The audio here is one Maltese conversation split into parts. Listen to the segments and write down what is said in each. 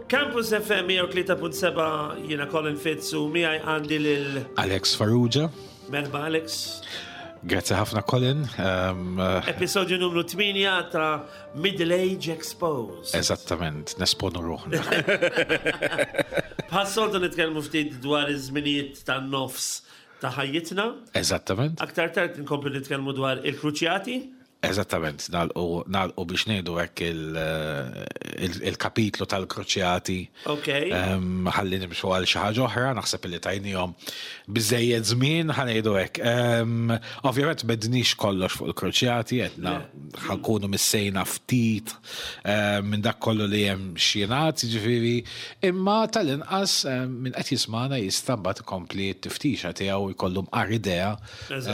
Campus FM 103.7 jiena Colin Fitz u miegħi għandi lil Alex Farrugia. Merba Alex. Grazzi ħafna Colin. Um, Episodju numru 8 ta' Middle Age Exposed. Eżattament, nesponu ruħna. Bħas-soltu nitkellmu ftit dwar iż-żminijiet tan-nofs ta' ħajjitna. Eżattament. Aktar tard nkomplu nitkellmu dwar il-kruċjati. Eżattament, nagħlqu biex ngħidu hekk il-kapitlu tal-kruċjati. Ok. Ħalli nimxu għal xi ħaġa oħra, naħseb li tajnihom biżejjed żmien ħa ngħidu hekk. Ovvjament m'għedniex kollox fuq il-kruċjati, għedna ħankunu missejna ftit minn dak kollu li hemm x'jingħad, jiġifieri, imma tal-inqas min qed jismagħna jista' mbagħad ikompli t-tiftixa tiegħu jkollu mqar idea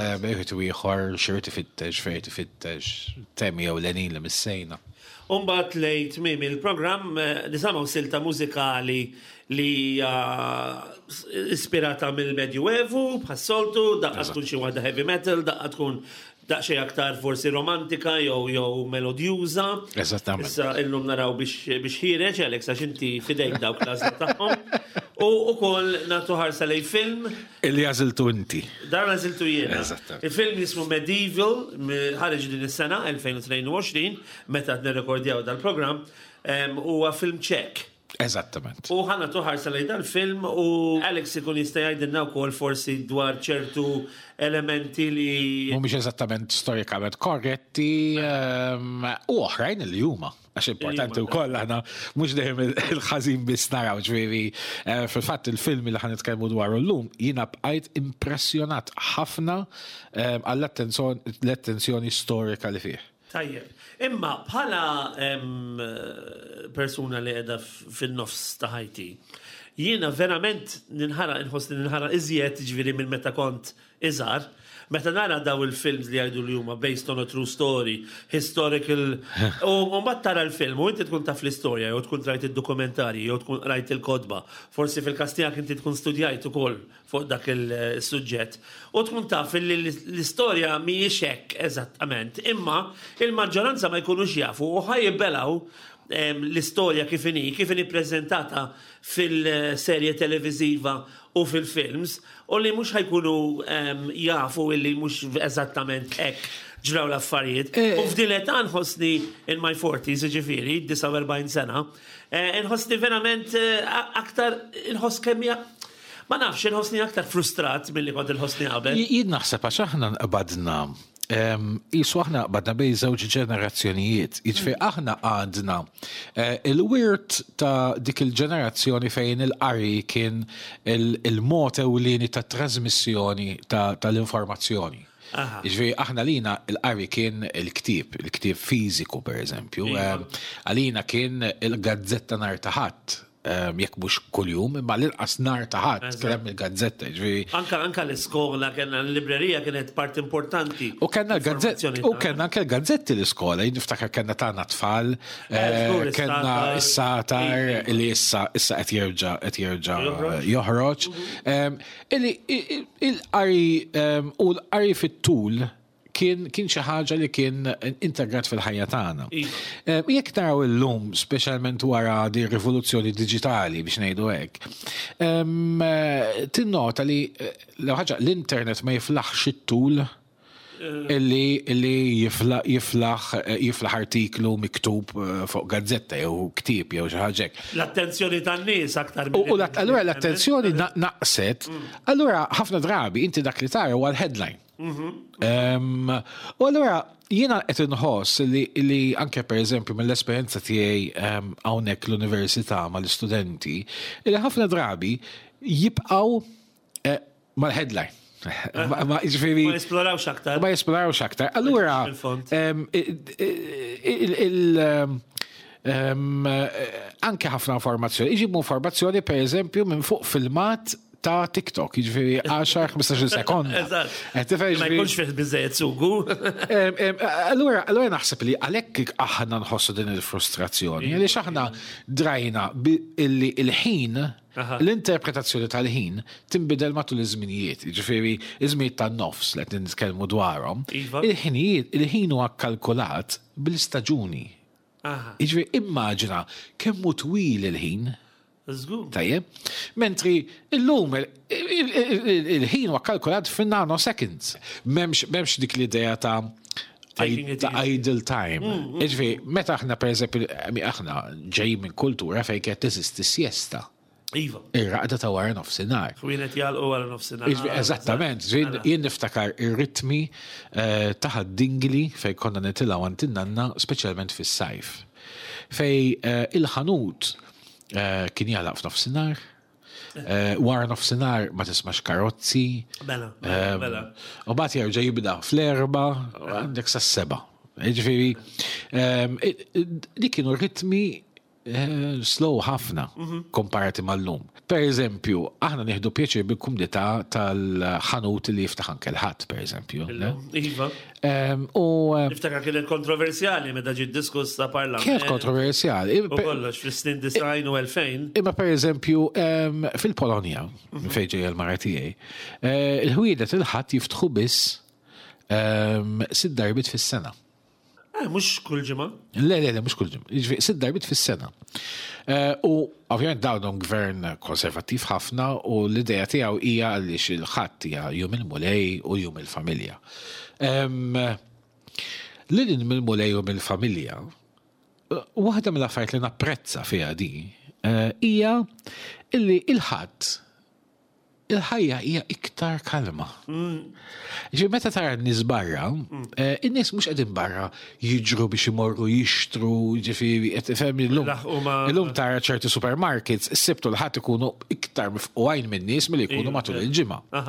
Eh, Bejħet u ieħor x'irid ifittex, fejn ifittex, temi jew lenin li missejna. Umbat lej tmiem il-programm eh, nisimgħu silta mużikali li hija ispirata mill-Medjuevu, bħas-soltu, daqqa tkun xi waħda heavy metal, daqqa tkun daqsxejn aktar forsi romantika jew jew melodjuża. Eżattament. Issa illum naraw biex biex ħireġ Alex għax inti fidejk dawk l-għażla tagħhom. U ukoll nagħtu ħarsa lej film Illi għażiltu inti. Dan għażiltu jiena. Eżattament. Il-film jismu Medieval, ħareġ din is-sena 2022, meta qed nirrekordjaw dal-programm, huwa film ċek. Eżattament. U ħa nagħtu ħarsa lejn dal-film u Alex ikun jista' jgħidilna wkoll forsi dwar ċertu elementi li. Mhumiex eżattament storikament korretti u oħrajn li huma. Għax importanti wkoll aħna mhux dejjem il-ħażin biss naraw ġifieri eh, fil-fatt il-film li ħan nitkellmu dwaru llum jiena bqajt impressjonat ħafna eh, għall-attenzjoni storika li fih. Tajjeb. Imma bħala persuna li qiegħda fin-nofs ta' ħajti, jiena verament ninħara inħoss li ninħara iżjed ġifieri minn meta kont iżgħar, meta nara daw il-films li jgħidu li huma based on a true story, historical, u mbagħad tara l-film u inti tkun taf l-istorja jew tkun rajt id-dokumentarji jew tkun qrajt il-kotba, forsi fil-każ tiegħek inti tkun studjajt ukoll fuq dak il-suġġett u tkun taf li l-istorja mhijiex hekk eżattament, imma il-maġġoranza ma jkunux jafu u ħa jibbelgħu l-istorja kif inhi, kif inhi ppreżentata fil-serje televiżiva u fil-films u li mhux ħa jkunu jafu illi mhux eżattament hekk ġraw l-affarijiet. Eh. U f'din l-età nħossni in my 40s, ġifieri, 49 sena, eh, nħossni verament eh, aktar nħoss kemm ma nafx, nħossni aktar frustrat milli kont inħossni qabel. Jien naħseb għax aħna nqbadna Isu aħna qbadna bej żewġ ġenerazzjonijiet. Jiġifieri mm. aħna għadna eh, il-wirt ta' dik il-ġenerazzjoni fejn il-qari kien il-mod ewlieni ta' trasmissjoni tal-informazzjoni. Jiġifieri aħna lina il-qari kien il-ktieb, il-ktieb fiżiku pereżempju. Iva. Għalina kien il-gazzetta nhar ta' ħadd Ehm, jekk mhux kuljum, imma l-inqas nar ta' ħadd kien hemm il-gazzetta, ġifieri. Anka anka l-iskola kellna l-librerija kienet part importanti. U kellna l-gazzetti, u kellna anke l-gazzetti l-iskola, jien niftakar kellna tagħna tfal, eh, eh, kellna s-satar li issa issa qed jerġa' qed jerġa' joħroġ. Mhm. Ehm, illi il-qari ehm, u l-qari fit-tul kien kien xi ħaġa li kien integrat fil-ħajja tagħna. Iva. Eh, jekk naraw illum, speċjalment wara di rivoluzzjoni diġitali biex ngħidu hekk, eh, tinnota li eh, l ħaġa l-internet ma jiflaħx it-tul illi illi jiflaħ jiflaħ artiklu miktub fuq gazzetta jew ktieb jew xi ħaġa hekk. L-attenzjoni tan-nies aktar U allura l-attenzjoni naqset, mm. allura ħafna drabi inti dak li tara huwa l-headline. U allura jiena qed inħoss li, li anke pereżempju mill-esperjenza tiegħi hawnhekk l-università mal-istudenti, li ħafna drabi jibqgħu eh, mal-headline. Ma jiġifieri ma jesplorawx aktar. Ma jesplorawx aktar. Allura il anke ħafna informazzjoni, iġibu informazzjoni per eżempju minn fuq filmat ta' TikTok, jiġifieri 10-15 sekonda. Eżatt. Ma jkunx fih biżejjed sugu. Allura, allura naħseb li għalhekk aħna nħossu din il-frustrazzjoni, għaliex aħna drajna illi il-ħin l-interpretazzjoni tal-ħin tinbidel matul iż-żminijiet, jiġifieri iż-żminijiet tan-nofs li qed nitkellmu dwarhom. Iva. Il-ħinijiet, il-ħin huwa kkalkulat bl-istaġuni. Jiġifieri immaġina kemm hu twil il-ħin. Żgur. Tajjeb. Mentri illum il-ħin huwa kalkulat fin-nanoseconds. M'hemmx dik l-idea ta' ta' idle time. Jiġifieri meta aħna pereżempju aħna ġejjin minn kultura fejn kienet teżisti siesta. Iva. Ir-raqda ta' wara nofsinhar. Ħwienet jagħlqu wara nofsinhar. Eżattament, jien niftakar ir-ritmi eh, ta' ħad-dingli fejn konna nitilgħu għand in-nanna speċjalment fis-sajf. Fej eh, il-ħanut eh, kien jagħlaq f'nofsinhar, wara nofsinhar ma tismax karozzi. Mela, mela, mela. U bagħad jerġa' jibda fl-erba' għandek sas-seba'. Ġifieri, dik kienu ritmi Eh, slow ħafna mhm. komparati mal-lum. Per eżempju, aħna nieħdu pjaċir bil-kumdità tal-ħanut li jiftaħ anke l-ħadd, per eżempju. Iva. U eh, Niftakar kienet kontroversjali meta ġiet diskussa parlament. Kienet kontroversjali. U kollox fis-snin design u 2000. Imma per eżempju, fil-Polonja, mhm. fejn ġejja l-mara tiegħi, eh, il-ħwienet il-ħadd jiftħu biss sitt darbiet fis-sena. Eh, mhux kull ġimgħa. Le, le, le, mhux kull ġimgħa. Jiġifieri sitt darbiet fis-sena. Eh, u ovvjament dawn gvern konservattiv ħafna u l-idea tiegħu hija għaliex il-ħadd hija jum il-mulej u jum il-familja. Lil mill-mulej u mill-familja, eh, waħda mill-affarijiet li napprezza fiha di eh, hija illi il-ħadd il-ħajja hija iktar kalma. Ġi meta tara n-nies barra, eh, in-nies mhux qegħdin barra jiġru biex imorru jixtru, ġifieri qed tifhem illum. Illum tara ċerti supermarkets, is-Sibt u l-Ħadd ikunu iktar mifqugħin min-nies milli jkunu matul il-ġimgħa.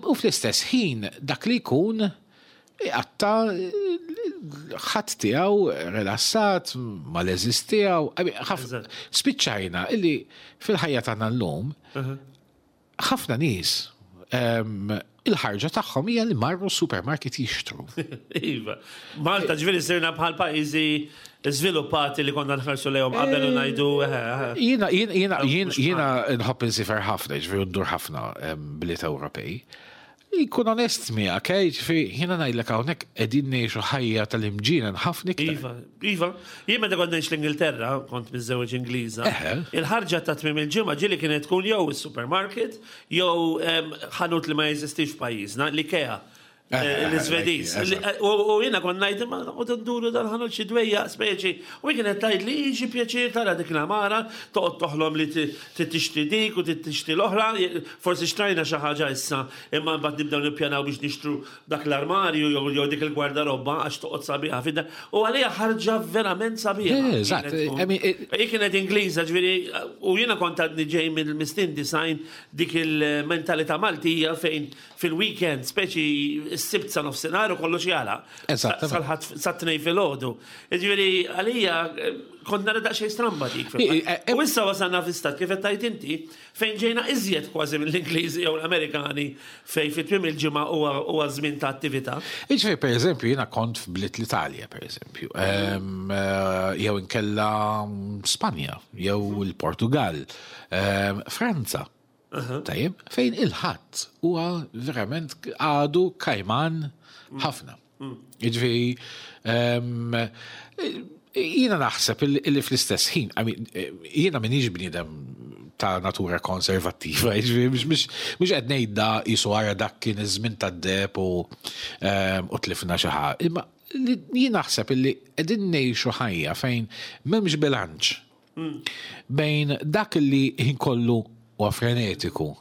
U fl-istess ħin dak li jkun iqatta' ħadd tiegħu rilassat mal-għeżież tiegħu. Spiċċajna illi fil-ħajja tagħna llum ħafna nies il-ħarġa tagħhom hija li marru supermarket jixtru. Iva. Malta ġifieri sirna bħal pajjiżi żviluppati li konna nħarsu lejhom qabel u eh, ngħidu. Eh, eh. Jiena jiena jiena nħobb insifer ħafna, ġifieri ndur ħafna bliet Ewropej. Inkun onest miegħek, eh, jiġifieri jiena ngħidlek hawnhekk qegħdin ngħixu ħajja tal-imġienen ħafna iktar. Iva, iva. Jien meta kont ngħix l-Ingilterra, kont miżżewweġ Ingliża, il-ħarġa ta' tmiem il-ġimgħa ġieli kienet tkun jew is-supermarket jew ħanut li ma jeżistix f'pajjiżna, l-Ikea. Eh, L-Iżvediż. U jiena kont ngħid imma noqgħod nduru dal-ħanut xi dwejjaq speċi. U hi kienet tgħid li xi pjaċir tara dik l-għamara, toqgħod toħlom li trid tixtri dik u trid tixtri l-oħra, forsi xtrajna xi ħaġa issa, imma mbagħad nibdew nippjanaw biex nixtru dak l-armarju jew dik il-gwardarobba għax toqgħod sabiħa fid-dar. U għalija ħarġa verament sabiħa. Eżatt. Hi kienet Ingliża, ġifieri, u jiena kont għadni ġej mill-snin 90 dik il-mentalità Maltija fejn fil-weekend, speċi s-Sibt sa nofsinhar u kollox jagħlaq. Eżatt. Sal-Ħadd sat-Tnejn filgħodu. Jiġifieri għalija kont nara daqsxejn stramba dik. Eh, u issa wasalna fi stat kif qed tgħid inti fejn ġejna iżjed kważi mill-Ingliżi jew l-Amerikani fejn fi tmiem il-ġimgħa huwa żmien ta' attività. Jiġifieri pereżempju jiena kont f'bliet l-Italja pereżempju, eh, jew inkella Spanja, jew il-Portugal, Franza. Tajjeb, fejn il-ħadd huwa verament għadu kajman ħafna. Mm. Jiġifieri ehm, jiena naħseb illi fl-istess ħin, jiena minix bniedem ta' natura konservattiva, jiġifieri mhux qed ngħid da jisu għara dak kien iż-żmien tad-deb u ehm, u tlifna xi ħaġa. Imma jien naħseb illi qegħdin ngħixu ħajja fejn m'hemmx bilanċ Bejn dak li ħin kollu huwa frenetiku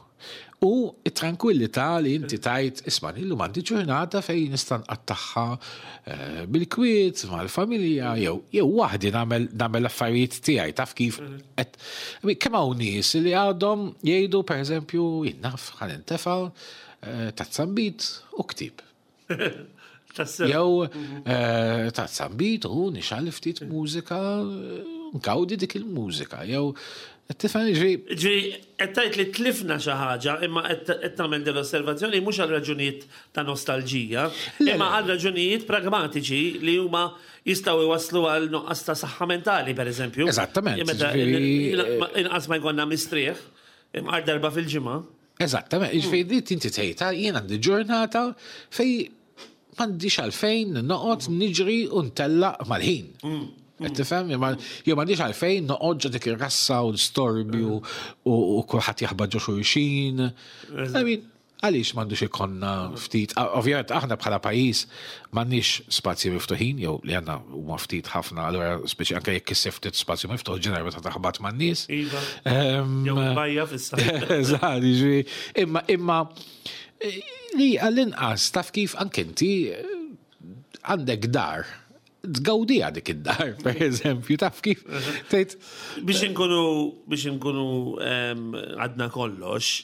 u t-trankwillità li inti tgħid isma' illum għandi ġurnata fejn nista' nqattagħha eh, bil-kwiet mal-familja jew jew waħdi nagħmel nagħmel affarijiet tiegħi taf kif qed kemm hawn nies li għadhom jgħidu pereżempju jien naf ħa nintefa' eh, tazza nbid u ktieb. Jew eh, ta' zambit u nixgħal ftit mużika, nkawdi dik il-mużika. Jew tifhem ġri. Ġri, qed tgħid li tlifna xi ħaġa, imma qed tagħmel din l-osservazzjoni mhux għal raġunijiet ta' nostalġija, imma għal raġunijiet pragmatiċi li huma jistgħu jwasslu għal nuqqas ta' saħħa mentali, pereżempju. Eżattament. Inqas ma jkollna mistrieħ, imqar darba fil-ġimgħa. Eżattament, jiġifieri li inti tgħid ah, jien għandi ġurnata fej m'għandix għalfejn noqgħod niġri u ntellaq mal-ħin. Qed tifhem? Jew m'għandix għalfejn noqgħod ġo dik ir-rassa u l-storbju u kulħadd jaħbad ġo xulxin. I mean, għaliex m'għandux ikollna ftit, ovvjament aħna bħala pajjiż m'għandniex spazji miftuħin jew li għandna huma ftit ħafna, allura speċi anke jekk issib ftit spazju miftuħ ġeneralment ta' taħbat man-nies. Iva. Jew bajja fissa. Eżatt, jiġifieri, imma imma li għall-inqas taf kif anke inti għandek dar tgawdiha dik id-dar, per eżempju, taf kif tgħid. Biex inkunu biex inkunu għadna kollox,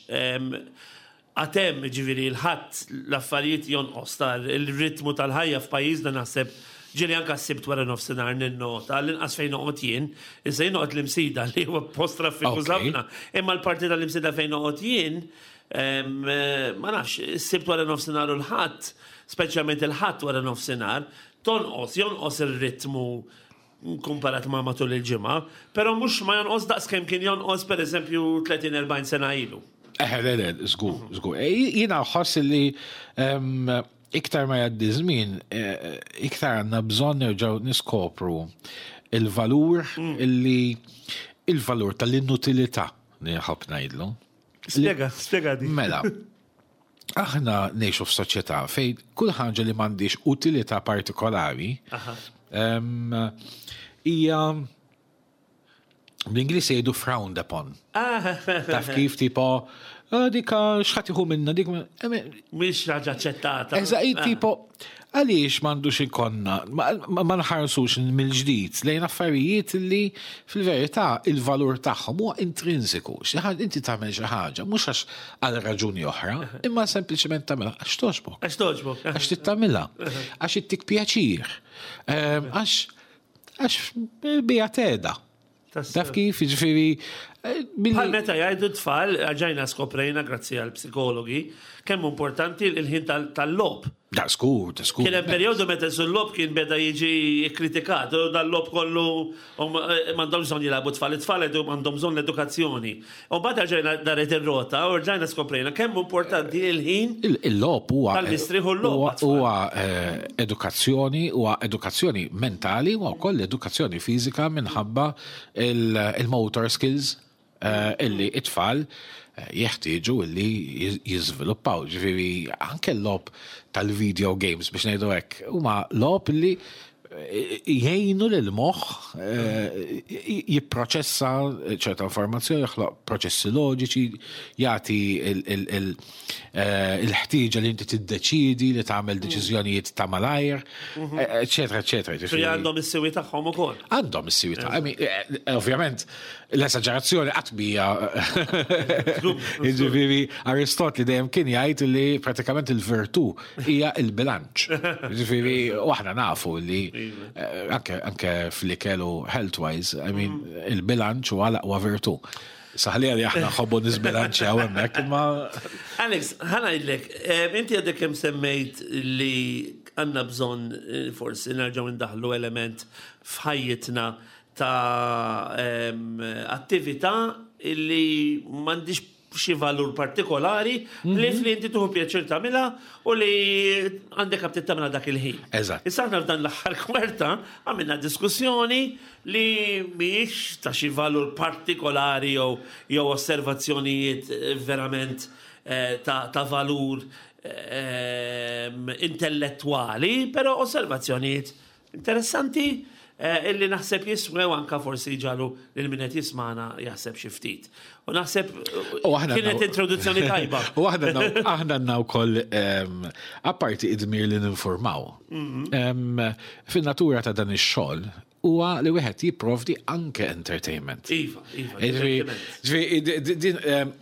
għatem ġifieri l-ħadd l-affarijiet jonqos tar il-ritmu tal-ħajja f'pajjiżna naħseb ġieli anka s-sibt wara nofsinhar ninnota l-inqas fejn noqgħod jien, issa jien noqgħod l-Imsida li huwa post traffiku ħafna, imma l-parti tal-Imsida fejn noqgħod jien, ma nafx, is-sibt wara nofsinhar u l-ħadd, speċjalment il-ħadd wara nofsinhar, Tonqos, jonqos ir-ritmu kumparat ma' matul il-ġimgħa, però mhux ma jonqos daqs kemm kien jonqos pereżempju 30-40 sena ilu. Eħe, le, le, żgur, żgur. E, jiena nħoss li iktar ma jgħaddi żmien, e, iktar għandna bżonn nerġgħu niskopru il-valur mm. illi il-valur tal-inutilità li nħobb ngħidlu. Spjega, spjega di. Mela, aħna ngħixu f'soċjetà fejn kull ħaġa li m'għandix utilità partikolari hija bl-Ingliż jgħidu frowned upon. Ah. Taf kif tipo ah, dik x'ħadd iħu minna dik mhix ħaġa aċċettata. Eżatt ah. tipo Għaliex m'għandux ikollna, ma nħarsux mill-ġdid lejn affarijiet li fil-verità il-valur tagħhom huwa intrinsiku. Xi ħaġa inti tagħmel xi ħaġa mhux għax għal raġuni oħra, imma sempliċement tagħmilha għax togħġbok. Għax togħġbok. Għax trid tagħmilha. Għax ittik pjaċir. Ehm, għax għax bija teda. Taf kif, jiġifieri. Eh, Bħal meta jgħidu tfal, ġajna skoprejna grazzi għal psikologi, kemm importanti il-ħin tal-lob. Da skur, da skur. Kien hemm perjodu meta sul-lob kien beda jiġi kritikat, u dal-lob kollu eh, m'għandhom bżonn jilagħbu tfal, it-tfal għandhom bżonn l-edukazzjoni. U mbagħad ġejna daret ir-rota u rġajna skoprejna kemm importanti il-ħin. Il-lob huwa tal-mistrieħ u l-lob. Huwa eh, edukazzjoni, huwa edukazzjoni mentali u wkoll edukazzjoni fiżika minħabba il-motor skills eh, illi it-tfal eh, jeħtieġu illi jiżviluppaw. Ġifieri anke l-logħob tal-video games biex ngħidu hekk huma logħob illi jgħinu lil moħħ eh, jipproċessa ċerta informazzjoni, joħloq proċessi loġiċi, jagħti eh, il-ħtieġa li inti tiddeċidi li tagħmel mm. deċiżjonijiet ta' malajr, mhm. eh, eċetera, eċetera. Ġifieri għandhom is-siwi tagħhom ukoll. Għandhom is-siwi tagħhom. Ovvjament, l-esaġerazzjoni qatt mija. Jiġifieri Aristotli dejjem kien jgħid li pratikament il-virtù hija il-bilanċ. Ġifieri, u aħna nafu li iva. eh, anke, anke fl-ikel u health-wise, I mean, mm. il-bilanċ huwa l-aqwa virtù. Saħli li aħna nħobbu nisbilanċjaw hemmhekk, imma. Alex, ħana ngħidlek, eh, inti għadek kemm semmejt li għandna bżonn eh, forsi nerġgħu ndaħlu element f'ħajjitna ta' attività illi m'għandix xi valur partikolari mm -hmm. li li inti tuħu pjaċir tagħmilha u li għandek aptit tagħmilha dak il-ħin. Eżatt. Issa aħna f'dan l-aħħar kwarta għamilna diskussjoni li mhijiex ta' xi valur partikolari jew jew osservazzjonijiet eh, verament eh, ta', ta valur eh, intellettwali, però osservazzjonijiet Interessanti eh, illi naħseb jiswew anka forsi ġalu lil min qed jismana jaħseb xi ftit. U naħseb kienet introduzzjoni tajba. U aħna aħna għandna wkoll ehm, apparti id-dmir li ninformaw. Mhm. Ehm, fin-natura ta' dan ix-xogħol huwa li wieħed jipprovdi anke entertainment. Iva, iva. Ehm,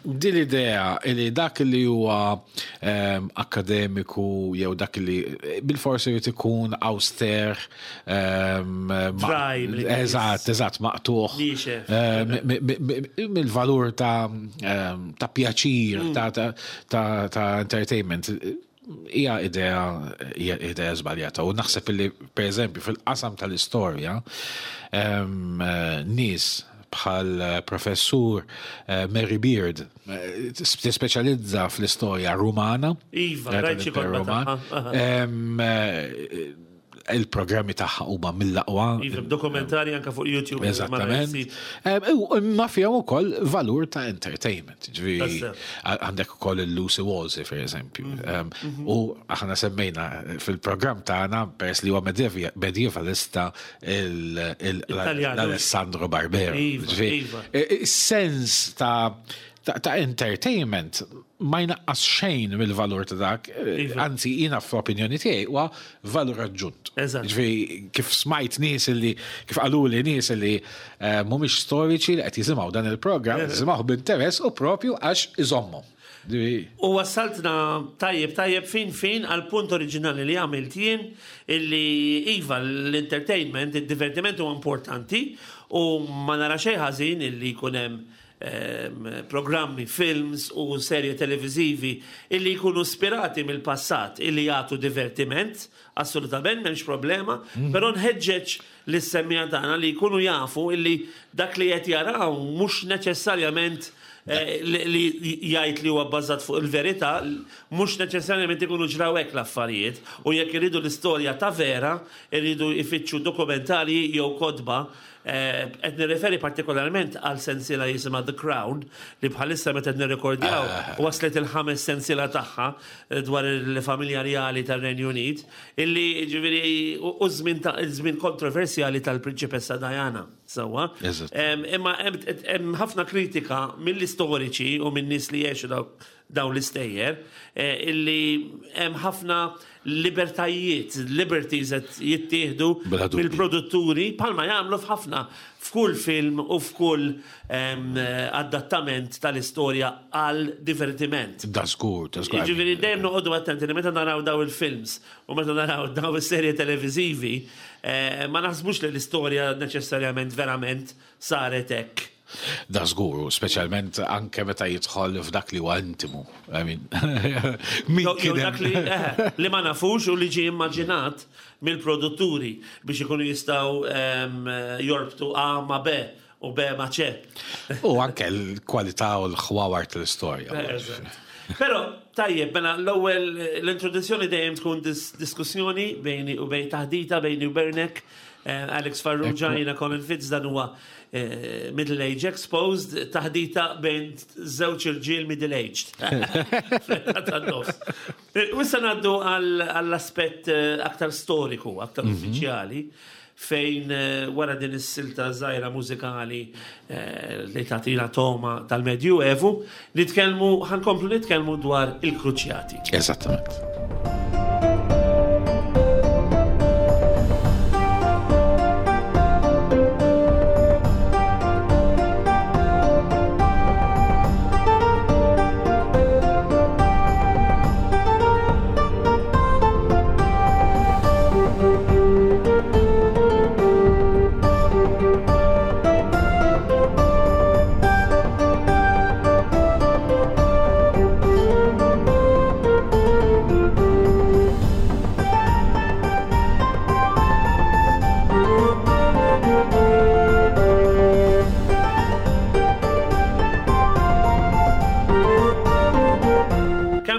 din l-idea li dak li huwa ehm, akademiku jew dak li bil-forsi jrid ikun auster ehm, eżatt, eżatt, maqtuħ mill-valur ta' ta' pjaċir, mm. ta' entertainment hija idea hija idea żbaljata u naħseb li pereżempju fil-qasam tal-istorja nies bħal professur eh, Mary Beard eh, tispeċjalizza fl-istorja Rumana. Iva, rajt xi Roman. Il-programmi tagħha huma mill-aqwa. Iva, dokumentari anka fuq YouTube. Eżattament. Imma fihom ukoll valur ta' entertainment. Ġifieri għandek ukoll il-Lucy Wolsey, per eżempju. Mhm. Mhm. U aħna semmejna fil-programm tagħna peress li huwa medievalista l-Alessandro Barbero. Iva, iva. Sens ta' ta' entertainment ma jnaqqas xejn mill-valur ta' dak, iva. anzi jiena fl-opinjoni tiegħi huwa valur aġġunt. Ġifieri kif smajt nies li kif qaluli nies li eh, mhumiex storiċi li qed jisimgħu dan il-programm, eh. jisimgħuh b'interess u propju għax iżommhom. U wassaltna tajjeb tajjeb fin fin għal punt oriġinali li għamilt jien illi iva l-entertainment, id-divertiment huwa importanti u ma nara xejn ħażin illi jkun hemm programmi, films u serje televiżivi illi jkunu spirati mill-passat illi jagħtu divertiment, assolutament m'hemmx problema, mhm. però nħeġġeġ lis-semmiegħa tagħna li jkunu jafu illi dak li qed jaraw mhux neċessarjament eh, li jgħid li huwa bbażat fuq il-verità, mhux neċessarjament ikunu ġraw hekk l-affarijiet u jekk iridu l-istorja ta' vera, iridu jfittxu dokumentarji jew kotba Qed nirreferi partikolarment għal sensiela jisimha The Crown li bħalissa meta qed nirrekordjaw ah. waslet il-ħames sensiela tagħha eh, dwar il-familja rjali tar-Renju Unit illi ġifieri u żmien kontroversjali tal-Prinċipessa Diana. Sewwa. Imma hemm ħafna kritika mill-istoriċi u minn nies li jgħixu dawn l-istejjer eh, illi hemm ħafna libertajiet, liberties qed jittieħdu mill-produtturi bħalma jagħmlu f'ħafna f'kull film u f'kull adattament tal-istorja għal divertiment. Da żgur, da żgur. Jiġifieri dejjem noqogħdu attenti li meta naraw daw il-films u meta naraw daw is-serje televiżivi, eh, ma naħsbux li l-istorja neċessarjament verament saret hekk. Da żgur, speċjalment anke meta jidħol f'dak li huwa intimu. I mean, min kien dak li, eh, li ma nafux u li ġie immaġinat mill-produtturi biex ikunu jistgħu ehm, jorbtu A ma' B u B ma' C. U anke l-kwalità u l-ħwawar tal-istorja. Eh, Però tajjeb, mela l-ewwel l-introduzzjoni dejjem tkun diskussjoni bejni u bejn taħdita bejni u Bernek eh, Alex Farrugia, jiena Colin Fitz, dan huwa eh, Middle Age Exposed, taħdita bejn żewġ irġiel middle aged. Eh, u issa ngħaddu għall-aspett aktar storiku, aktar mhm. uffiċjali, fejn wara din is-silta żgħira mużikali li tagħtina toma tal-Medju Evu, nitkellmu ħankomplu nitkellmu dwar il-Kruċjati. Eżattament.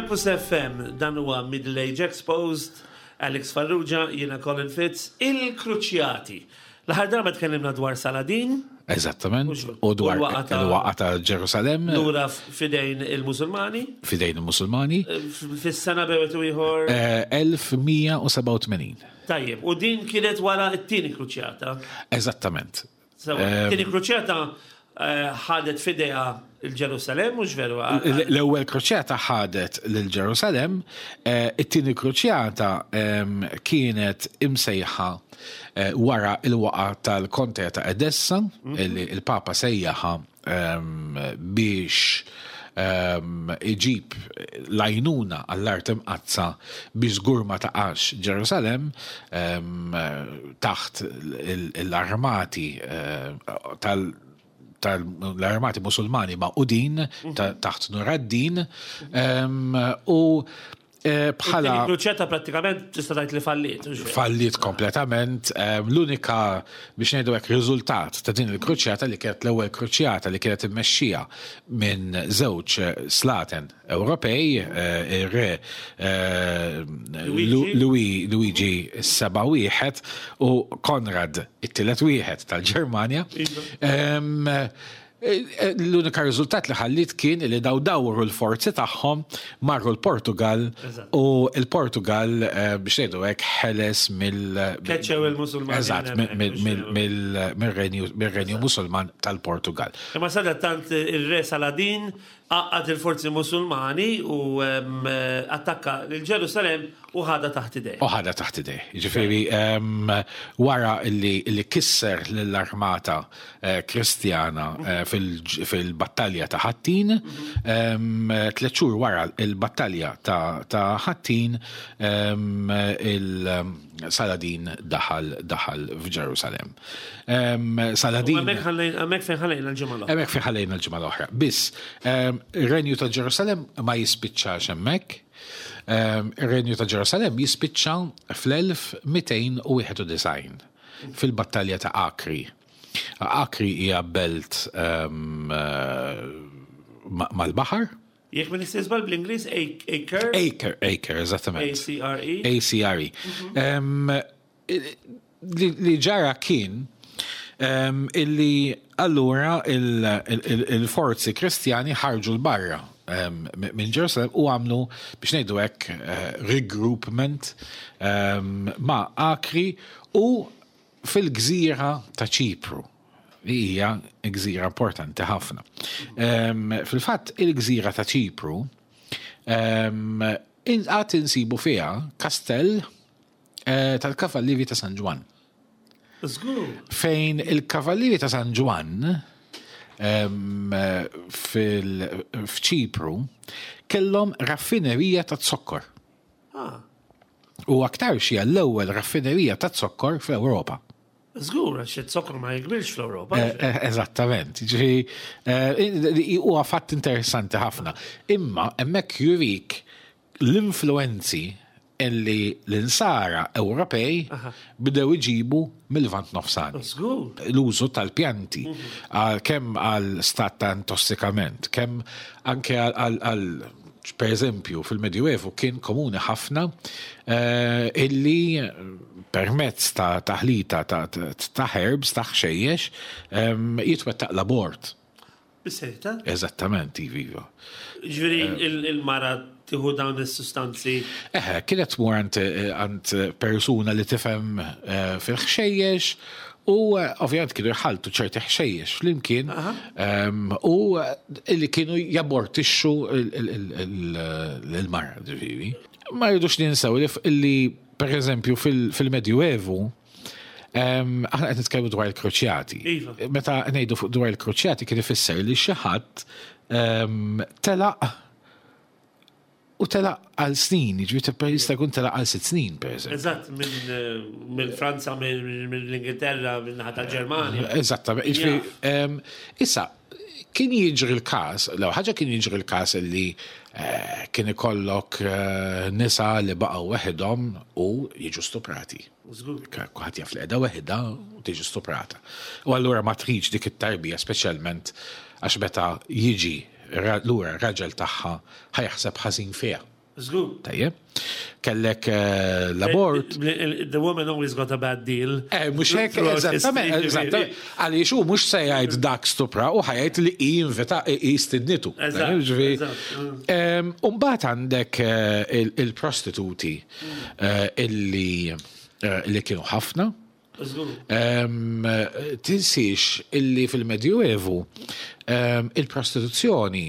Campus FM, dan huwa Middle Age Exposed, Alex Farrugia, jiena Colin Fitz, il-Kruċjati. L-aħħar darba tkellimna dwar Saladin. Eżattament. U dwar il-waqa ta' Ġerusalem. Lura fidejn il-Musulmani. Fidejn il-Musulmani. Eh, fis-sena bewet u ieħor. 1187. Eh, Tajjeb, u din kienet wara t-tieni kruċjata. Eżattament. Tieni kruċjata eh, ħadet fidejha il-Ġerusalem, mhux veru? L-ewwel kruċjata ħadet lil Ġerusalem, eh, it-tieni kruċjata kienet imsejħa eh, wara il-waqa tal-Kontea ta' Edessa, mhm. li il-Papa sejjaħa biex iġib l-għajnuna għall-art imqaddsa biex żgur ma taqax Ġerusalem taħt l-armati eh, tal tal-armati musulmani magħqudin mhm. taħt Nuraddin u Bħala. Il-kruċjata prattikament tista' tgħid li falliet. Falliet kompletament. L-unika biex ngħidu hekk riżultat ta' din il-kruċjata li kienet l-ewwel kruċjata li kienet immexxija minn żewġ slaten Ewropej, ir-re Luigi s-seba' wieħed u Konrad it-tielet wieħed tal-Ġermanja. Iva. L-unika riżultat li ħalliet kien li daw dawru l-forzi tagħhom marru l-Portugal u l-Portugal eh, biex ngħidu hekk ħeles mill Keċċew il-Musulmani. Eżatt, mir-Renju Musulman tal-Portugal. Imma sadattant ir-Re Saladin għaqqad il-forzi Musulmani u attakka lil Ġerusalemm u ħadha taħt idejh. U ħadha taħt idejh. Jiġifieri wara li kisser lill-armata eh, Kristjana eh, fil-battalja ta' Ħattin, tliet xhur wara il-battalja ta' Ħattin il-Saladin daħal daħal f'Ġerusalemm. Saladin. Hemmhekk fejn ħallejna l-ġimgħa l-oħra. Hemmhekk fejn ħallejna l-ġimgħa l-oħra. Biss, ir-Renju ta' Ġerusalemm ma jispiċċax hemmhekk. Ir-Renju ta' Ġerusalemm jispiċċa fl-1291 fil-battalja ta' Akri. Akri hija belt mal-baħar. Jekk m'iniex żball bl-Ingliż Acre. Acre, Acre, eżattament. A-C-R-E. A-C-R-E. Li ġara kien illi allura il-forzi Kristjani ħarġu 'l barra minn Ġerusalemm u għamlu biex ngħidu hekk regroupment ma' Akri u fil-gżira ta' Ċipru, li hija gżira importanti ħafna. Fil-fatt, il-gżira ta' Ċipru għad insibu fiha kastell eh, tal-Kavallieri ta' San Ġwann. Żgur. Fejn il-Kavallieri ta' San Ġwann f'Ċipru kellhom raffinerija ta' zokkor. Ah. U aktarx hija l-ewwel raffinerija ta' zokkor fl-Ewropa. Żgur, għax iz-zokkor ma jikbirx fl-Ewropa. Eh, eh, eżattament. Ġifieri, eh, huwa fatt interessanti ħafna. Imma hemmhekk jurik l-influenzi illi l-insara Ewropej bdew iġibu mill-Lvant Nofsani. L-użu tal-pjanti, mhm. kemm għal stat ta' intossikament, kemm anke għal per eżempju, fil-Medjuevu kien komuni ħafna eh, illi permezz ta' taħlita ta' herbs, ta' ħxejjex, ehm, jitwettaq l-abort. Bis-serjetà? Eżattament, iva. Ġifieri eh. il-mara tieħu dawn is-sustanzi. Eħe, kienet tmur għand persuna li tifhem eh, fil-ħxejjex u eh, ovvjament kienu jħaltu ċerti ħxejjex flimkien ehm, u li kienu jabortixxu l-mara ġifieri. Ma rridux ninsew li per eżempju fil-Medjuevu Aħna qed nitkellmu dwar il-kruċjati. Iva. Meta ngħidu fuq dwar il-kruċjati kien ifisser li xi ħadd telaq u telaq għal snin, jiġifieri jista' jkun telaq għal sitt snin, pereżempju. Eżatt, minn Franza, mill-Ingilterra, minn naħa tal-Ġermanja. Eżattament. Jiġifieri, issa, kien jiġri l-każ, l ħaġa kien jiġri l-każ li eh, kien ikollok eh, nisa li baqgħu weħidhom u jiġu stuprati. Żgur. Kulħadd jaf li qiegħda weħidha u tiġi stuprata. U allura ma tridx dik it-tarbija speċjalment għax meta jiġi lura r-raġel tagħha ħa jaħseb ħażin fiha. Żgur. Tajjeb. Kellek eh, l-abort. The woman always got a bad deal. Eh, mhux hekk, eżattament, eżattament. Għaliex hu mhux se jgħid dak stupra u ħa jgħid li hi invita hi stidnitu. Eżatt. U mbagħad għandek eh, il-prostituti Eh, illi eh, li kienu ħafna. Tinsiex illi fil-Medjuevu il-prostituzzjoni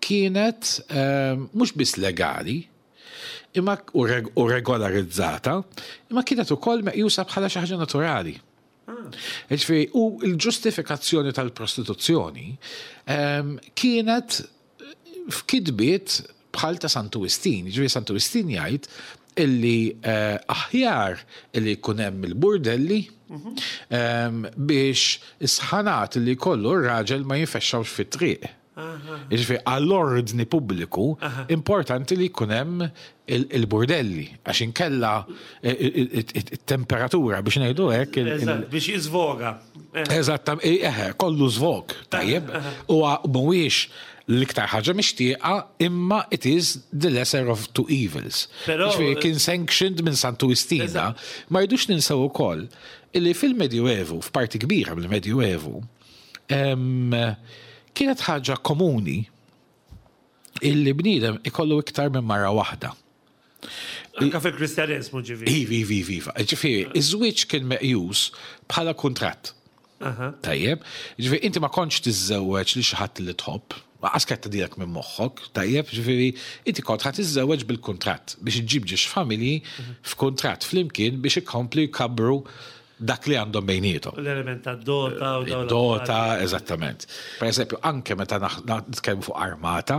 kienet mhux biss legali, imma u regolarizzata, imma kienet ukoll meqjusa bħala xi ħaġa naturali. Ah. Ġifieri, u l-ġustifikazzjoni tal-prostituzzjoni kienet f'kitbiet bħal ta' Santu Wistin. Jiġifieri Santu Wistin jgħid illi eh, aħjar illi jkun hemm il-burdelli mhm. ehm, biex is-sħanat li jkollu r-raġel ma jinfexxawx fit-triq. Jiġifieri għall-ordni pubbliku importanti li jkun hemm il-burdelli għax inkella it-temperatura biex ngħidu hekk. Biex jiżvoga. Eżatt, eħe, kollu żvog, tajjeb. Huwa mhuwiex l-iktar ħaġa mixtieqa imma it is the lesser of two evils. Jiġifieri kien sanctioned minn Santu Wistina. Ma rridux ninsew ukoll illi fil-Medjuevu, f'parti kbira mill-Medjuevu, Kienet ħaġa komuni illi bniedem ikollu iktar minn mara waħda. Anka fil-Kristjaneżmu ġifieri. Iva, iva, iva, iva. Ġifieri, iż-żwieġ kien meqjus bħala kuntratt. Tajjeb, ġifieri inti ma kontx tiżżewweġ li xi ħadd li tħobb, qas kien tgħaddilek minn moħħok, tajjeb, ġifieri inti kont ħa tiżżewweġ bil-kuntratt biex iġġib ġiex familji f'kuntratt flimkien biex ikomplu jkabbru dak li għandhom bejniethom. L-element tad-dota u dawn. Dota, eżattament. Per eżempju, anke meta nitkellmu fuq armata,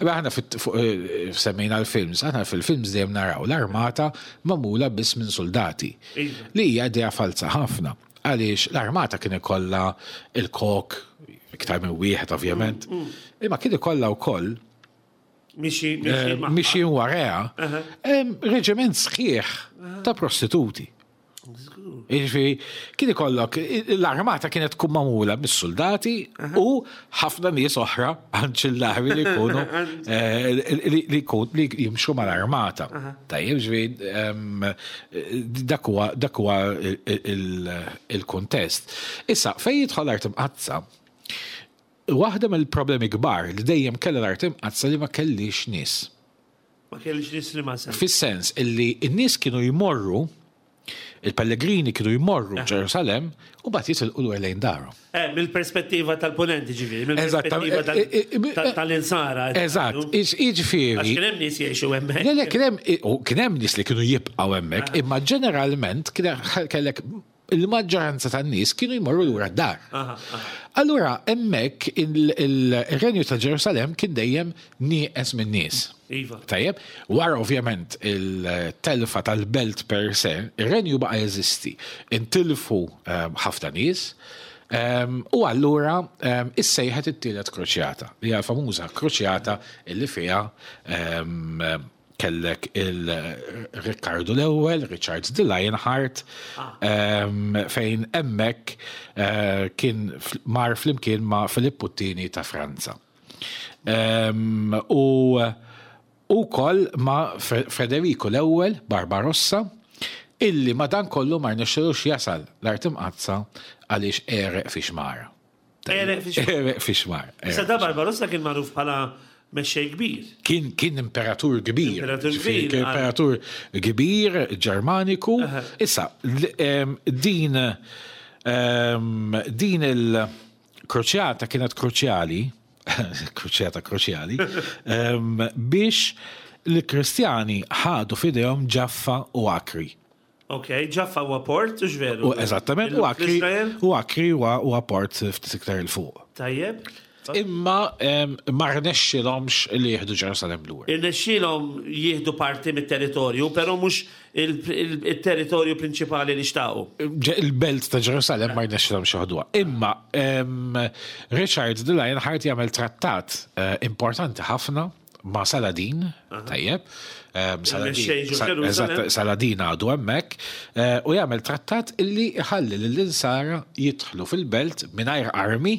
aħna eh, semmejna l-films, aħna fil-films dejjem naraw l-armata magħmula biss minn soldati. Iva. Li hija idea falsa ħafna. Għaliex l-armata kien ikollha il-kok, iktar minn wieħed ovvjament, imma kien ikollha wkoll mixi eh, warajha reġiment sħiħ ta' prostituti. Jiġifieri kien ikollok l-armata kienet tkun magħmula mis-suldati u ħafna nies oħra anċillari li jkunu eh, li jkun li jimxu mal-armata. Tajjeb, ġifieri dak huwa dak huwa il-kuntest. Issa, fejn jidħol l-art imqaddsa, waħda mill-problemi kbar li dejjem kellha l-art imqaddsa li ma kellix nies. Ma kellix nies li ma sens. Fis-sens illi n-nies kienu jmorru, il-pellegrini kienu jmorru eh. Ġerusalem u bat jitilqu lura lejn darhom. Eh, mill-perspettiva tal-ponenti ġifieri, mill-perspettiva eh, tal-insara. Eżatt, jiġifieri. Għax kien hemm nies jgħixu hemmhekk. Le, le, kien hemm nies li kienu jibqgħu hemmhekk, ah. imma ġeneralment kellek il-maġġoranza tan-nies kienu jmorru lura d-dar. Allura hemmhekk il-Renju ta' Ġerusalemm kien dejjem nieqes minn nies. Iva. Tajjeb, wara ovvjament il-telfa tal-belt per se, ir-renju baqa' jeżisti. Intilfu ehm, ħafna nies, ehm, u allura ehm, issejħet it-tielet kruċjata, li hija l-famuża kruċjata illi fiha kellek il-Rikkardu l-ewwel, Richard the Lionheart, ah. fejn hemmhekk eh, kien mar flimkien ma' Filippu Tini ta' Franza. U ukoll ma' Federico l-ewwel Barbarossa, illi ma dan kollu ma rnexxilux jasal l-art imqazza għaliex għereq fi xmara. Għereq fi xmar. Għereq fi xmar. Issa da Barbarossa kien magħruf bħala mexxej kbir. Kien kien imperatur kbir. Imperatur kbir. Kien imperatur kbir Ġermaniku. Issa din din il-kruċjata kienet kruċjali, kruċjata kruċjali, biex l-Kristjani ħadu f'idejhom Ġaffa u Akri. Ok, Ġaffa huwa port, hux veru? U eżattament, u Akri u Akri huwa port ftit iktar 'il fuq. Tajjeb. Imma ma rnexxilhomx li jieħdu Ġerusalemm lura. Irnexxielhom jieħdu parti mit-territorju, però mhux il-territorju prinċipali li xtaqu. Il-belt ta' Ġerusalemm ma rnexxilhomx joħduha. Imma Richard the Lionheart jagħmel trattat eh, importanti ħafna ma' Saladin, tajjeb, ehm, Saladin għadu hemmhekk, eh, u jagħmel trattat illi jħalli lill-insara jidħlu fil-belt mingħajr armi,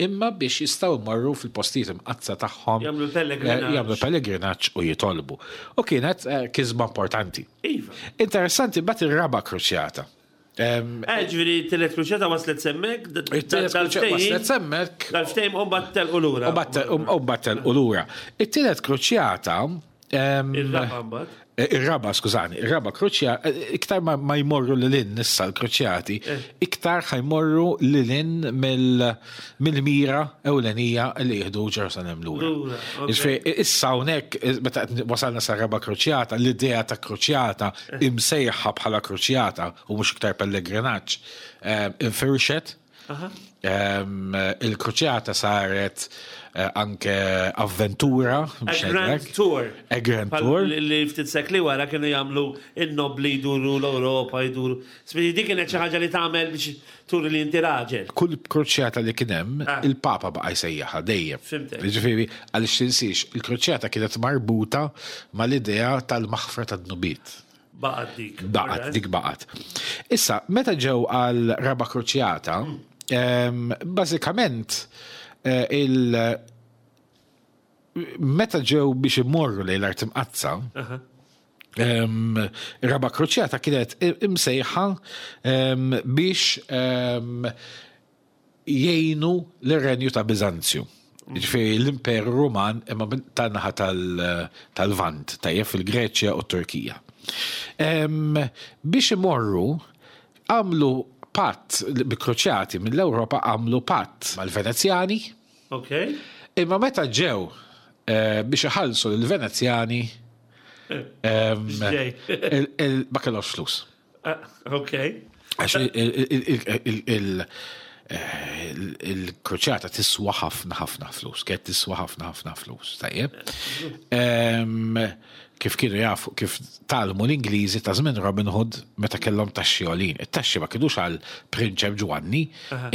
imma biex jistgħu jmorru fil-postijiet imqaddsa tagħhom. Jagħmlu pellegrinaġġ. Eh, jagħmlu pellegrinaġġ u jitolbu. U kienet eh, kisba importanti. Iva. Interessanti bat ir-raba' kruċjata. Eh, ġifieri t-tielet kruċjata waslet semmek, It-tielet kruċjata waslet semmek. Dal-ftehim u mbagħad telqu lura. U mbagħad telqu lura. It-tielet kruċjata. Ir-raba mbagħad. Eh, ir-raba, skużani, ir-raba kruċjata, eh, iktar ma jmorru lil hinn issa l-kruċjati, iktar ħajmorru lil hinn mill-mira ewlenija li jieħdu Ġerusalem lura. Ġifieri issa hawnhekk meta wasalna sa raba kruċjata, l-idea ta' kruċjata imsejħa bħala kruċjata u mhux iktar pellegrinaġġ, eh, infirxet. Il-kruċjata saret eh, anke avventura. A Grand Tour. A Grand Tour. Li ftit sekli wara kienu jagħmlu in-nobli jduru l-Ewropa jduru. Spiri dik kienet xi ħaġa li tagħmel biex turi li inti raġel. Kull kruċjata li kien hemm, ah. il-Papa baqa' jsejjaħha dejjem. Ġifieri, għaliex tinsiex, il-kruċjata kienet marbuta mal-idea tal-maħfra tad-dnubiet. Baqgħet dik. Baqgħet, dik baqgħet. Issa, meta ġew għal raba kruċjata, bażikament eh, il meta ġew biex imorru lejn l-art imqazza, raba kruċjata kienet imsejħa biex jgħinu lir-Renju ta' Biżanzju. Jiġifieri l-Imperu Ruman imma tan-naħa tal-Lvant, tajjeb fil-Greċja u t-Turkija. Biex imorru għamlu patt, bi-Kruċjati mill-Ewropa għamlu patt mal-Venezjani. Imma meta ġew eh, biex iħallsu lill-Venezjani ma kellhomx flus. Ah, ok. Għax il-kruċjata tiswa ħafna ħafna flus, kienet tiswa ħafna ħafna flus, tajjeb. Kif kienu jafu, kif talmu l-Ingliżi ta' żmien Robin Hood meta kellhom taxxi għolin. It-taxxi ma kienux għal Prinċep Ġwanni,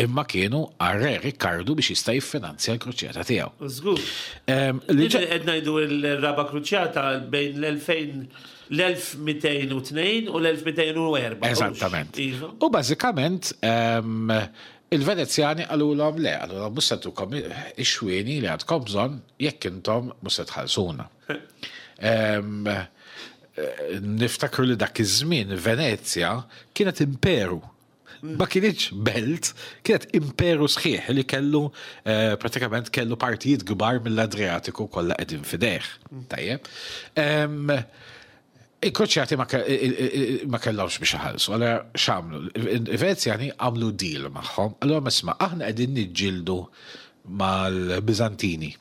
imma kienu għal Re Rikkardu biex jista' jiffinanzja l-kruċjata tiegħu. Żgur. Qed ngħidu l-raba' kruċjata bejn l-2000 l-1202 u l-1204. Eżattament. Iva. U bażikament ehm, il-Venezjani qalulhom le, qalulhom mhux se tukom ix-xwieni li għandkom bżonn jekk intom mhux se tħallsuna. Ehm, eh, niftakru li dak iż-żmien Venezja kienet imperu. Ma kienx belt, kienet imperu sħiħ li kellu eh, pratikament kellu partijiet kbar mill-Adriatiku kollha qegħdin fidejh. Tajjeb. Il-Kroċjati ma kellhomx biex iħallsu, allura x'għamlu? Il-Venezjani għamlu deal magħhom, allura isma' aħna qegħdin niġġieldu mal-Biżantini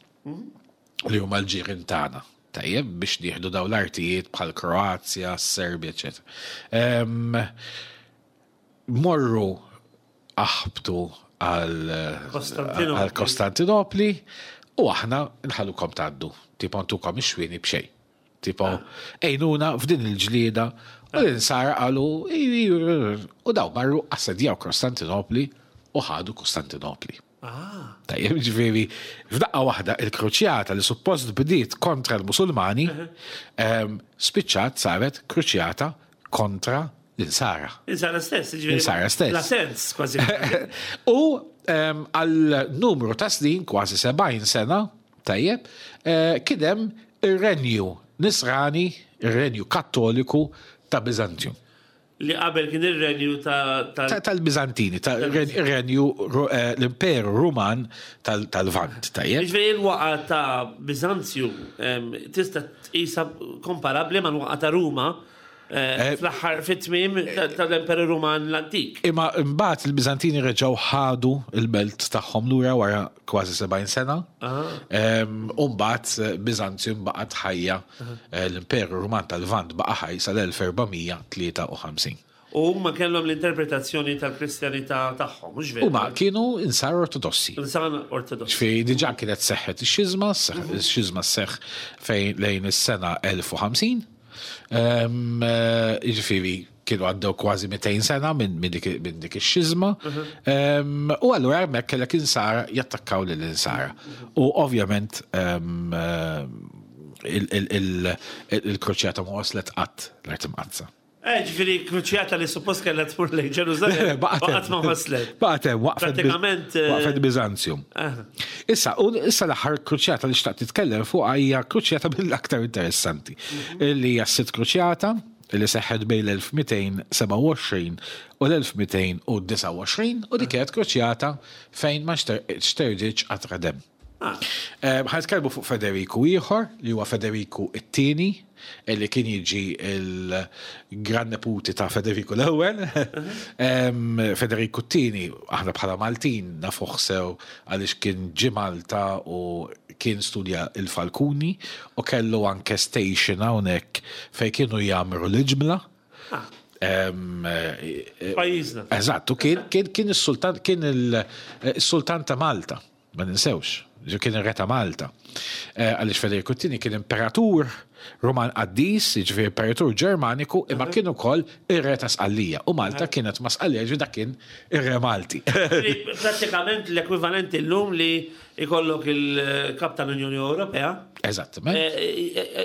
li huma l-ġirien tagħna. Tajjeb biex nieħdu dawn l-artijiet bħal Kroazja, Serbja, eċetera. Morru aħbtu għal Kostantinopli u aħna nħallukom tgħaddu. Tipo ntukom ix-xwieni b'xejn. Tipo, ah. ejnuna f'din il-ġlieda u l-insara qalu u daw marru assedjaw Kostantinopli u ħadu Kostantinopli. Ah. Tajjeb, ġifieri, f'daqqa waħda il-kruċjata li suppost bdiet kontra l-Musulmani, ehm, spiċċat saret kruċjata kontra l-insara. Insara stess, ġifieri. Insara stess. La sens, kważi. U ehm, għal numru ta' snin, kważi 70 sena, tajjeb, eh, kien hemm ir-renju Nisrani, ir-renju Kattoliku ta' Biżantium. Li qabel kien ir-renju ta' Tal-Biżantini, ir-renju eh, l-Imperu Ruman tal-Lvant, tajjeb. Jiġifieri l-waqa ta' Biżanzju tista' tqisha komparabbli mal-waqa ta' Ruma eh, eh, fl-aħħar fit-tmiem tal-Imperu Ruman l-antik. Imma mbagħad il-Biżantini reġgħu ħadu l-belt tagħhom lura wara kważi 70 sena. U mbagħad eh, Biżanzjum baqgħet ħajja eh, l-Imperu Ruman tal-Lvant baqa' ħaj sal-1453. U huma kellhom l-interpretazzjoni tal-Kristjanità tagħhom, mhux veru? Huma kienu insar ortodossi. Insar ortodossi. Ġifieri diġà kienet seħħet ix-xiżma, ix-xiżma seħħ fejn lejn is-sena 1050. Eh, jiġifieri kienu għaddew kważi 200 sena minn dik ix-xiżma. U allura hemmhekk kellek insara jattakkaw lil insara. U ovvjament il-kruċjata ma waslet qatt l-art imqaddsa. Eh, ġifieri kruċjata li suppost kellha tmur lejn Ġerużalem. Baqgħet ma waslet. Baqgħet hemm waqfet. Pratikament. Eh, waqfet Biżanzjum. Eh. Issa, u issa l-aħħar kruċjata li xtaqt titkellem fuq hija kruċjata mill-aktar interessanti. Mhm. Li hija s-sitt kruċjata li seħħet bejn l-1227 u l-1229 u dik kienet kruċjata fejn ma xterġitx qatra demm. Ah. Eh, ħa nitkellmu fuq Federiku ieħor li huwa Federiku it-tieni li kien jiġi il-gran neputi ta' Federiku l-ewwel. Federiku t-tieni aħna bħala Maltin nafuh sew għaliex kien ġie Malta u kien studja il-Falkuni u kellu anke station hawnhekk fejn kienu jagħmru l-iġmla. Ah. Pajjiżna. Eżatt, u kien kien kien is-sultan kien il-sultan ta' Malta, ma ninsewx, kien ir-re ta' Malta. Għaliex Federiku t-Tieni kien imperatur Ruman qaddis, jiġifieri imperatur Ġermaniku, imma kien ukoll ir-re ta' Sqallija. U Malta kienet ma' Sqallija, jiġifieri dak kien ir-re Malti. Prattikament l-ekwivalenti llum li Ikollok il-kap tal-Unjoni Ewropea. Eżattament.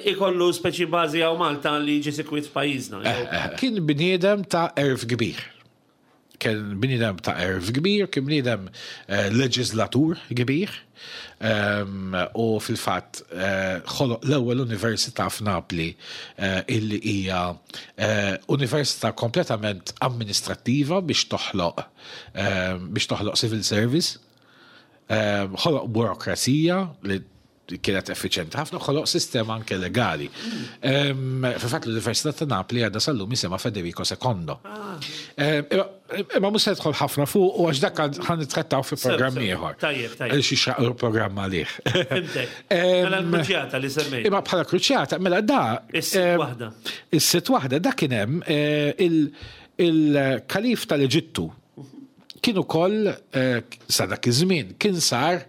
Ikollu speċi bażi hawn Malta li jiġi sikwit f'pajjiżna. Kien bniedem ta' għerf kbir. Kien bniedem ta' għerf kbir, kien bniedem leġiżlatur kbir. U fil-fatt ħoloq l-ewwel università f'Napli illi hija università kompletament amministrattiva biex toħloq biex toħloq civil service. Ħoloq burokrazija li kienet effiċjenti ħafna, ħoloq sistema anke legali. Fil-fatt l-Università ta' Napli għadha sal-lum jisimha Federico II. Ah. Imma mhux se nidħol ħafna fuq u għax dak ħan nittrattaw fi programm ieħor. Tajjeb, tajjeb. Xi xraq programm għalih. Mela l-kruċjata li semmejt. Imma bħala kruċjata, mela da. Is-sitt waħda. Is-sitt waħda da kien hemm eh, il-kalif tal-Eġittu Kien ukoll sa dak iż-żmien kien sar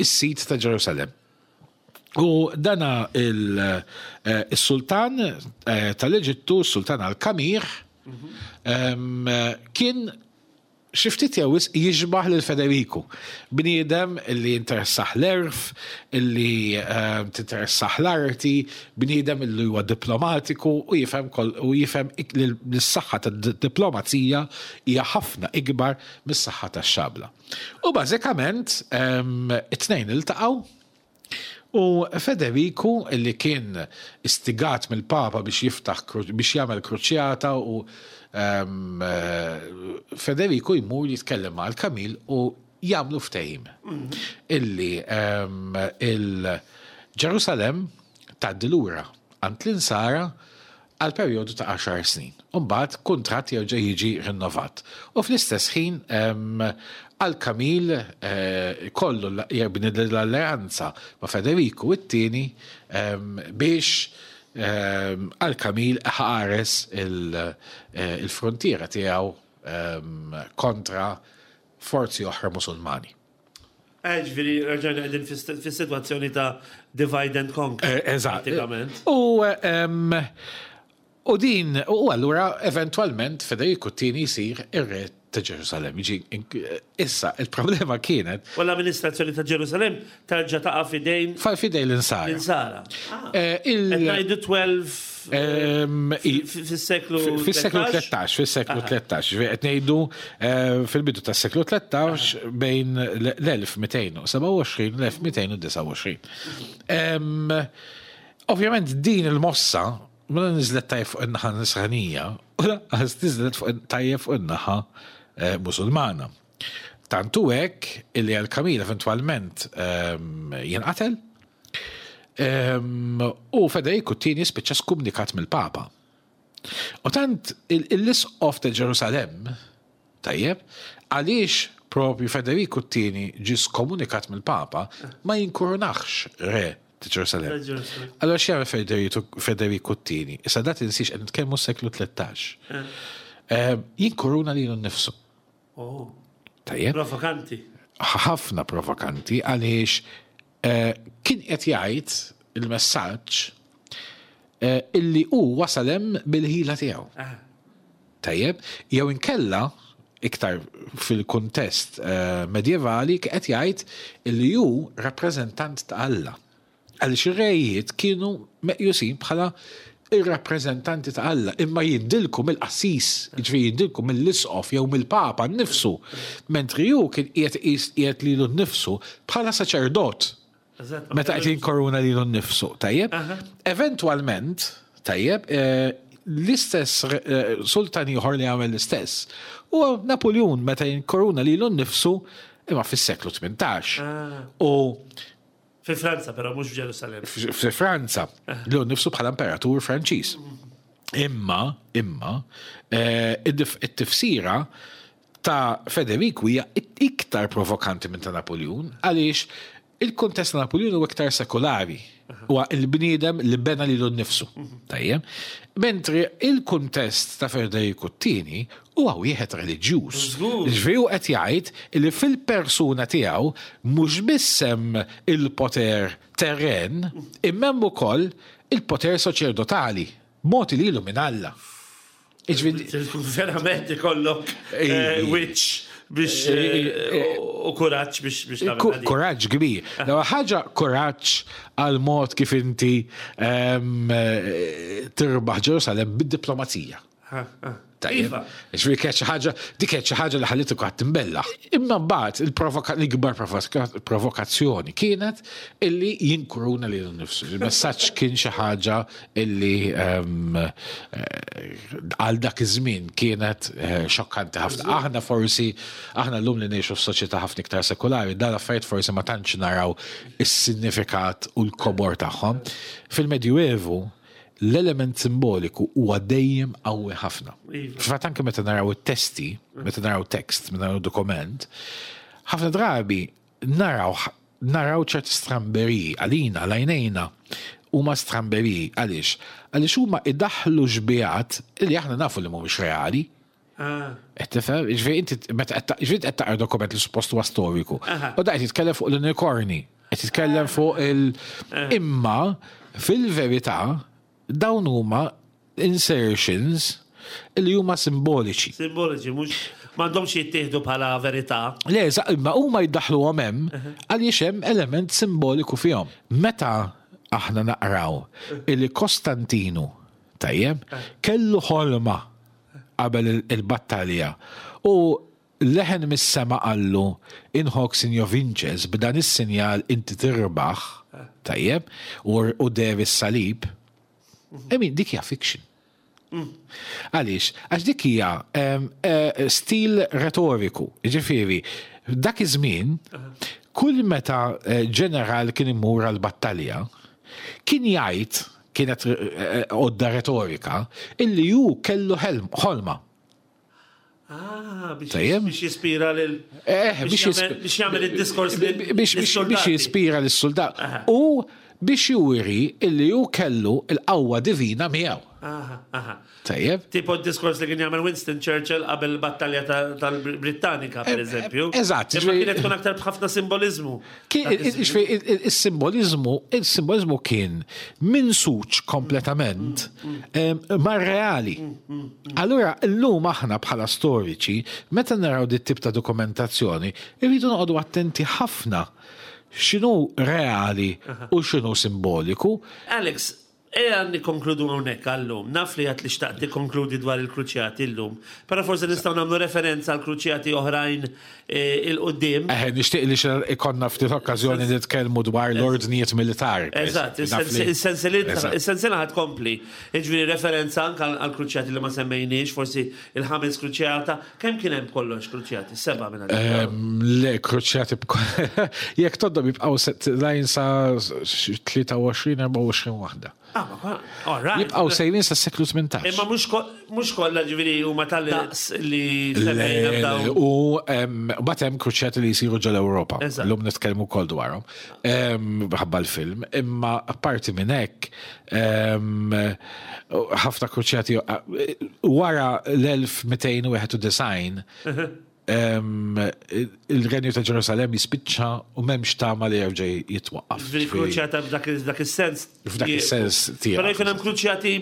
is-sid ta' Ġerusalemm. U dana il-sultan tal-Eġittu, sultan al-Kamir, kien xi ftit jew wisq jixbah lil Federiku. Bniedem li jinteressah l-għerf, li tinteressah l-arti, bniedem li huwa diplomatiku u jifhem u jifhem li s-saħħa tad-diplomazija hija ħafna ikbar mis-saħħa tax-xabla. U bażikament it-tnejn iltaqgħu u Federiku li kien istigat mill-Papa biex jiftaħ biex jagħmel kruċjata u Federiku jmur jitkellem ma' Al-Kamil u jagħmlu ftehim illi il-Ġerusalemm tgħaddi lura għand l-Insara għal perjodu ta' għaxar snin. U mbagħad kuntratt jerġa' jiġi rinnovat. U fl-istess ħin Al-Kamil kollu jibni l-alleanza ma' Federiku it-tieni biex Al-Kamil iħares il-fruntiera tiegħu kontra forzi oħra Musulmani. Ġifieri rġajna qegħdin fis-sitwazzjoni ta' divide and conquer. Eżatt. U u din u allura eventwalment Federiku t-tieni jsir ir-re ta' Ġerusalemm. Issa il-problema kienet. U l-amministrazzjoni ta' Ġerusalemm terġa' taqa' f'idejn. F'idejn l-Insara. L-Insara. Qed ngħidu 12 Fis-seklu Fis-seklu 13, fis-seklu 13, qed ngħidu fil-bidu tas-seklu 13 bejn l-1227 u l-1229. Ovvjament din il-mossa ma niżlet tajjeb fuq in-naħa nisranija, u lanqas niżlet tajjeb fuq in-naħa Musulmana. Tant hu hekk illi Al-Kamil eventwalment jinqatel u Federiku t-tieni spiċċa skumnikat mill-Papa. U tant l-isqof ta' Ġerusalemm, tajjeb, għaliex propju Federiku t-tieni ġie skomunikat mill-Papa, ma jinkurunax re ta' Ġerusalemm. Allora x'jagħmel Federiku t-tieni? Issa da tinsiex qed nitkellmu s-seklu 13. Jinkuruna lilu nnifsu. Oh. Tajjeb. Provokanti. Ħafna provokanti għaliex eh, kien qed jgħid il-messaġġ eh, illi hu wasal hemm bil-ħila tiegħu. Ah. Tajjeb, jew inkella iktar fil-kuntest eh, medjevali qed jgħid illi hu rappreżentant ta' Alla. Għaliex ir-rejiet kienu meqjusin bħala ir-rappreżentanti ta' Alla, imma jindilku mill-qassis, jiġifieri jindilku mill-isqof jew mill-Papa nnifsu, mentri hu kien qiegħed iqis qiegħed lilu nnifsu bħala saċerdot. Meta qed jinkoruna lilu nnifsu, tajjeb? Eventwalment, tajjeb, l-istess sultan ieħor li għamel l-istess huwa Napuljun meta jinkoruna lilu nnifsu imma fis-seklu 18. U Fi Franza però mhux f'Ġerusalemm. Fi Franza, li hu nnifsu bħala imperatur Franċiż. Imma, imma, eh, it-tifsira ta' Federiku hija iktar provokanti minn ta' Napoleon għaliex Il-kuntest ta' Napoleon huwa iktar sekulari. Huwa il-bniedem li bena lilu nnifsu. Tajjeb. Mentri il-kuntest ta' Federiku t-tieni huwa wieħed reliġjuż. Ġifieri hu qed jgħid li fil-persuna tiegħu mhux biss hemm il-poter terren, imma hemm ukoll il-poter soċerdotali mogħti lilu minn Alla. Verament ikollok eh, witch biex eh, eh, u kuraġġ biex biex tagħmel. Kuraġġ kbir. L-ewwel ħaġa kuraġġ għal mod kif inti ehm, tirbaħ Ġerusalem bid-diplomazija. Tajjeb. Iva. Ġifieri kienet xi ħaġa, dik kienet xi ħaġa li ħallitu qatt timbellaħ. Imma mbagħad l-ikbar provokazzjoni kienet illi jinkuruna lilu nnifsu. Il-messaġġ kien xi ħaġa illi ehm, eh, għal dak iż-żmien kienet eh, xokkanti ħafna. Aħna forsi, aħna llum li ngħixu f'soċjetà ħafna iktar sekulari, dan affarijiet forsi ma tantx naraw is-sinifikat u l-kobor tagħhom. Fil-Medjuevu, l-element simboliku huwa dejjem qawwi ħafna. Iva. Fil-fatt anke meta naraw it-testi, meta naraw tekst, meta naraw dokument, ħafna drabi naraw naraw ċerti stramberiji għalina, għalajnejna huma stramberiji għaliex? Għaliex huma idaħħlu xbihat li aħna nafu li mhumiex reali. Ah. Qed tifhem? Jiġifieri inti meta qed taqra dokument li suppost huwa storiku. U da qed jitkellem fuq l-unikorni, qed jitkellem fuq il eh. imma fil-verità dawn huma insertions li huma simboliċi. Simboliċi, mhux m'għandhomx jittieħdu bħala verità. Le, imma huma jiddaħħluhom hemm għaliex hemm element simboliku fihom. Meta aħna naqraw illi Kostantinu tajjeb kellu ħolma qabel il-battalja u leħen mis-sema qallu in hoc signo vinces, b'dan is-sinjal inti tirbaħ, tajjeb, u deher is-salib. I mean, dik hija fiction. Għaliex? Għax dik hija eh, stil retoriku. Ġifieri, dak iż-żmien, kull meta eh, ġeneral kien imur għal battalja, kien jgħid kienet eh, għodda retorika, illi hu kellu ħolma. Ah, biex jispira lil. Eh, biex jagħmel id-diskors biex jispira lis-soldat. U biex juri illi hu kellu l-qawwa divina miegħu. Tajjeb. Tipo d-diskors li kien jagħmel Winston Churchill qabel battalja tal-Brittanika, per eżempju. Eżatt. Imma kienet tkun aktar b'ħafna simbolizmu. Il-simbolizmu, il-simbolizmu kien minsuċ kompletament mar-reali. Allura, llum aħna bħala storiċi, meta naraw dit tip ta' dokumentazzjoni, irridu noqogħdu attenti ħafna x'inhu reali u x'inhu simboliku. Alex, Ejja nikkonkludu hawnhekk għal-lum. Naf li għedt li xtaqt tikkonkludi dwar il-kruċjati llum, però forsi nistgħu nagħmlu referenza għal kruċjati oħrajn 'il quddiem. Eħe, nixtieq li xi ikollna ftit okkażjoni nitkellmu dwar l-ordnijiet militari. Eżatt, is-sensiela ħa tkompli. Jiġifieri referenza anke għall-kruċjati li ma semmejniex, forsi il-ħames kruċjata. Kemm kien hemm b'kollox kruċjati? Sebgħa minn għalija. Le, kruċjati jekk tgħoddhom jibqgħu lajn sa 23, 24 waħda. Ah, all right. Jibqgħu sejrin sa seklu 18. Imma mhux kollha ġifieri huma tal-daqs li semmejna f'dawn. U mbagħad hemm kruċjati li jsiru ġol-Ewropa. Llum nitkellmu wkoll dwarhom. Ħabba l-film. Imma apparti minn hekk, ħafna kruċjati wara l-1291 il-renju ta' Ġerusalemm jispiċċa u m'hemmx tama li jerġa' jitwaqqaf. Ġifieri kruċjata f'dak is-sens. F'dak is-sens tiegħek. Però jkun hemm kruċjati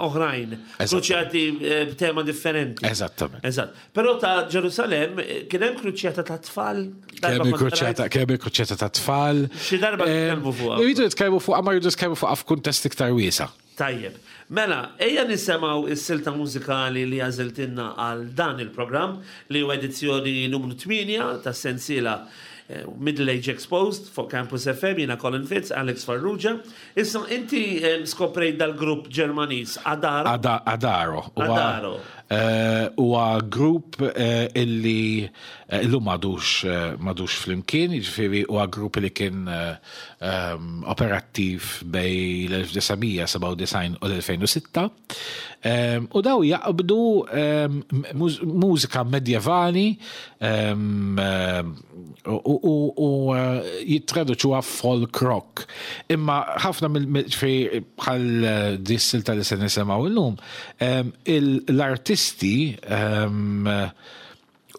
oħrajn, kruċjati eh, b'tema differenti. Eżattament. Eżatt. Però ta' Ġerusalemm eh, kien hemm kruċjata ta' tfal. Kemm il-kruċjata, kemm il-kruċjata ta' tfal. Xi darba nitkellmu fuqha. Irridu nitkellmu fuqha, ma rridu nitkellmu fuqha f'kuntest iktar wiesa'. Tajjeb. Mela, ejja nisemgħu s-silta mużikali li għażiltilna għal dan il-programm li huwa edizzjoni numru 8 tas-sensiela eh, Middle Age Exposed fuq Campus FM, jiena Colin Fitz, Alex Farrugia. Issa inti eh, skoprejt dal-grupp Ġermaniż Adaro. Adaro. Adaro. Eh, huwa grupp illi illum m'għadux m'għadux flimkien, jiġifieri huwa grupp li kien operattiv bejn l-1997 u l-2006. U daw jaqbdu mużika medjevali u u jittraduċuha folk rock. Imma ħafna mill bħal dis-silta li se nisimgħu llum, l-artisti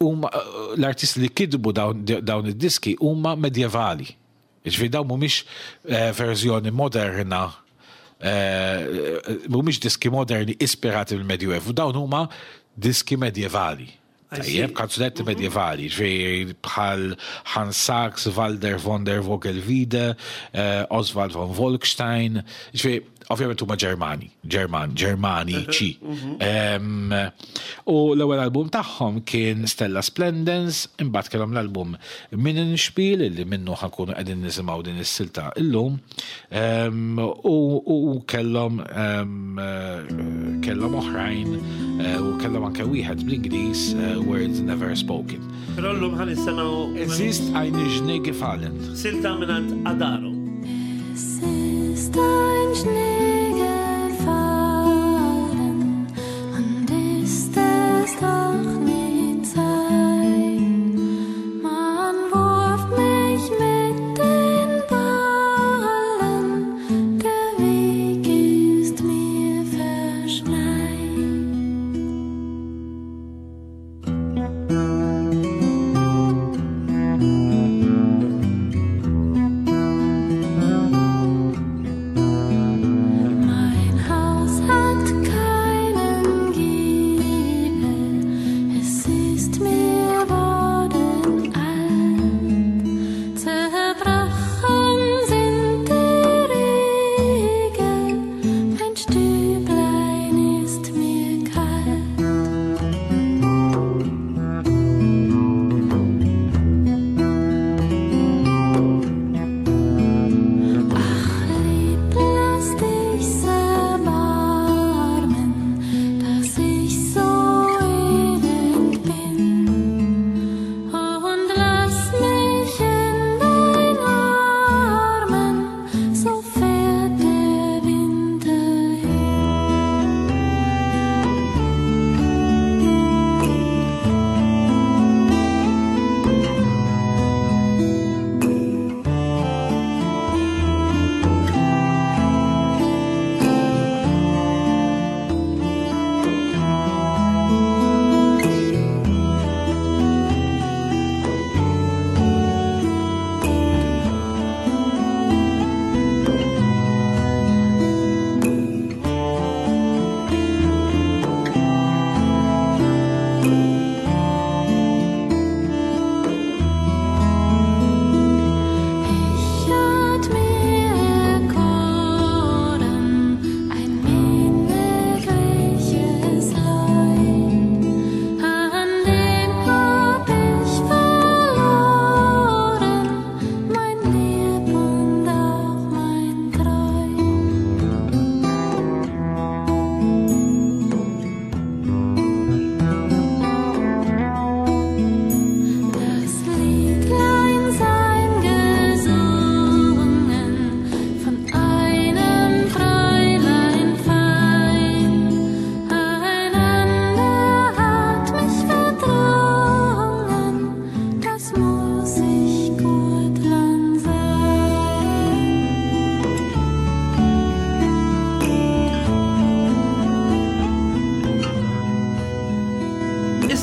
huma l-artisti li kitbu dawn id-diski huma medjevali. Jiġifieri dawn mhumiex verżjoni moderna, mhumiex diski moderni ispirati mill-Medjuevu, dawn huma diski medjevali. Tajjeb, kanzunetti medjevali, ġifieri bħal Hans Sachs, Walder von der Vogelweide, Oswald von Wolkstein, ġifieri Ovvjament huma Ġermani, Ġerman, Ġermaniċi. U l-ewwel album tagħhom kien Stella Splendens, imbagħad kellhom l-album Minnenspiel li minnu ħankunu qegħdin nisimgħu din is-silta illum. U kellhom kellhom oħrajn eh, u kellhom anke wieħed bl-Ingliż eh, Words Never Spoken. Però llum ħa nisimgħu Es ist eine Schnee gefallen. Silta mingħand Adaro.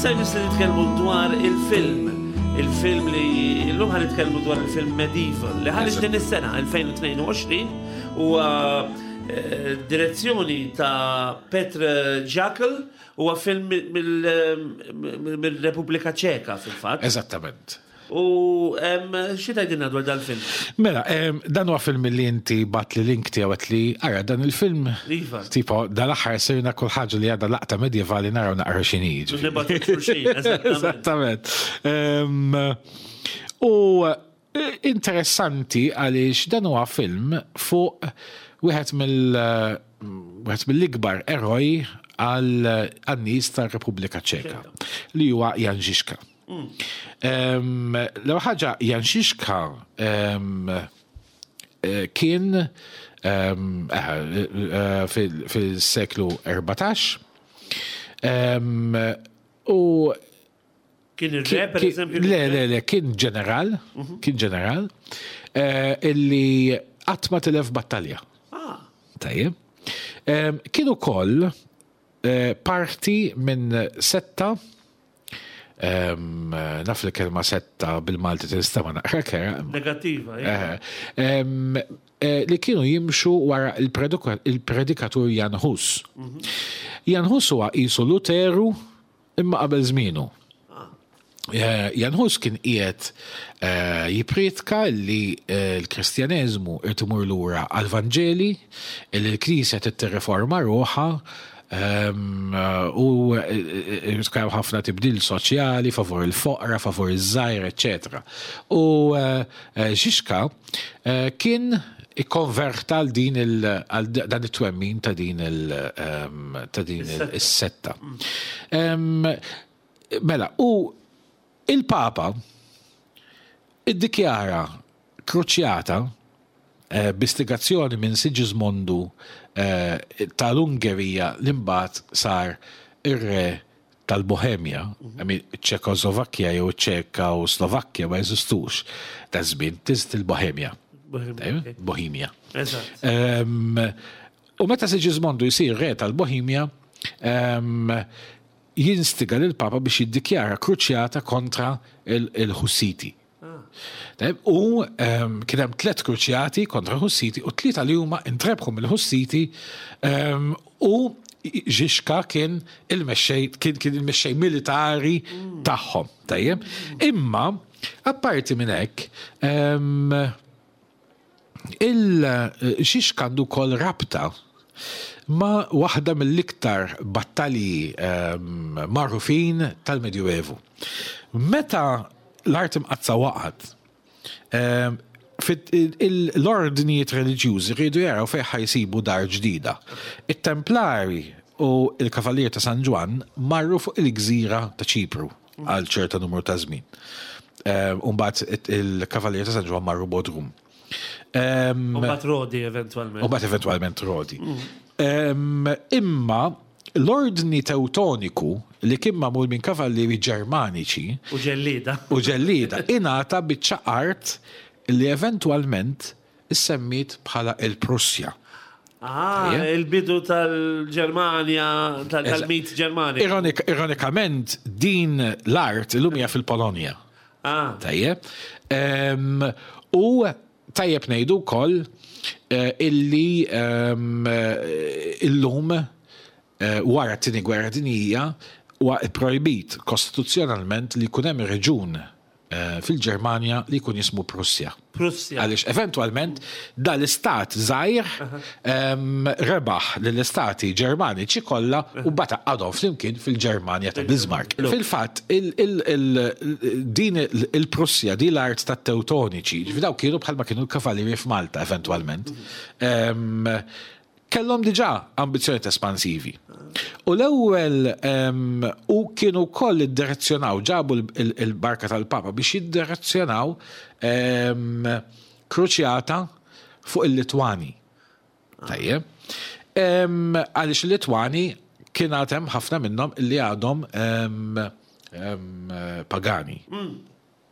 Issa jmiss li nitkellmu dwar il-film. Il-film li llum ħa nitkellmu dwar il-film Medieval li ħareġ din is-sena 2022 u eh, direzzjoni ta' Petr Jackal huwa film mill-Repubblika Ċeka fil-fatt. Eżattament. U xi tgħidilna dwar dal-film? Mela, dan huwa film li inti bat li link tiegħu għedt li ara dan il-film. Iva. Tipo, dal-aħħar sirna kull ħaġa li għadha laqta medjevali naraw naqra x'inhi. Nibgħatu xulxin, eżattament. U interessanti għaliex dan huwa film fuq wieħed mill wieħed mill-ikbar eroj għal nies tar-Repubblika Ċeka li huwa Jan Žižka. L-ewwel ħaġa Jan Žižka kien fil-seklu 14 u Kien ir-re, per eżempju? Le, le, le, kien ġeneral, kien ġeneral, illi qatt ma tilef battalja. Ah. Tajjeb. Kien ukoll parti minn setta, naf li kelma setta bil-Malti tinstema' naqra kera. Negattiva, Li kienu jimxu wara il-predikatur Jan Hus. Jan Hus huwa qisu Luteru imma qabel żmienu. Jan Hus kien qiegħed jippriedka li l-Kristjaneżmu irid imur lura għall-Vanġeli, li l-Knisja trid tirriforma ruħha u irid ikun hemm ħafna tibdil soċjali favur il-foqra, favur iż-żgħir, eċċetera. U Žižka kien ikkonverta għal din il għal dan it-twemmin ta' din il ta' din is-setta. Mela, u il-Papa iddikjara kruċjata b'istigazzjoni minn Sigismondu tal-Ungerija li mbagħad sar ir-re tal-Bohemja, I mean, Ċekoslovakkja jew Ċeka u Slovakkja ma jeżistux ta' żmien, tiżd il-Bohemja. Bohemia. U meta Sigismondu jsir re tal-Bohemja, jinstiga lill-Papa biex jiddikjara kruċjata kontra il-Hussiti. U kien hemm tlet kruċjati kontra Hussiti u tlieta li huma intrebħu mill-Hussiti u Žižka kien il-mexxej kien kien il-mexxej militari tagħhom. Tajjeb. Imma apparti minn hekk Il-Žižka għandu wkoll rabta ma' waħda mill-iktar battalji magħrufin tal-Medjuevu. Meta l-Art Imqaddsa waqgħet, l-ordnijiet reliġjużi riedu jaraw fejn ħa jsibu dar ġdida. It-Templari u l-Kavallieri ta' San Ġwann marru fuq il-gżira ta' Ċipru għal ċerta numru ta' żmien. U mbagħad il-Kavallieri ta' San Ġwann marru Bodrum. U mbagħad Rodi eventwalment. U mbagħad eventwalment Rodi. Imma l-ordni Tewtoniku li kien magħmul minn kavallieri Ġermaniċi. U ġellieda. U ġellieda ingħata biċċa art li eventwalment issemmiet bħala il-Prussja. Ah, il-bidu tal-Ġermanja, tal-mit Ġermani. Ironikament, din l-art illum hija fil-Polonja. Ah. Tajjeb. U tajjeb ngħidu wkoll eh, illi illum eh, wara t-tieni gwerra dinjija huwa pprojbit kostituzzjonalment li jkun hemm reġun fil-Ġermanja li jkun jismu Prussja. Prussja. Għaliex eventwalment dal-istat żgħir rebaħ lill-istati Ġermaniċi kollha u mbagħad għaqqadhom flimkien fil-Ġermanja ta' Bismarck. Fil-fatt, din il-Prussja, din l-art tat-Tewtoniċi, ġifieri dawk kienu bħalma kienu l-Kavallieri f'Malta eventwalment, Kellhom diġà ambizzjonijiet espansivi. U l-ewwel u kienu wkoll iddirezzjonaw, ġabu l-barka tal-Papa biex jiddirezzjonaw kruċjata fuq il-Litwani. Tajjeb. Għaliex il-Litwani kien għad hemm ħafna minnhom li għadhom pagani.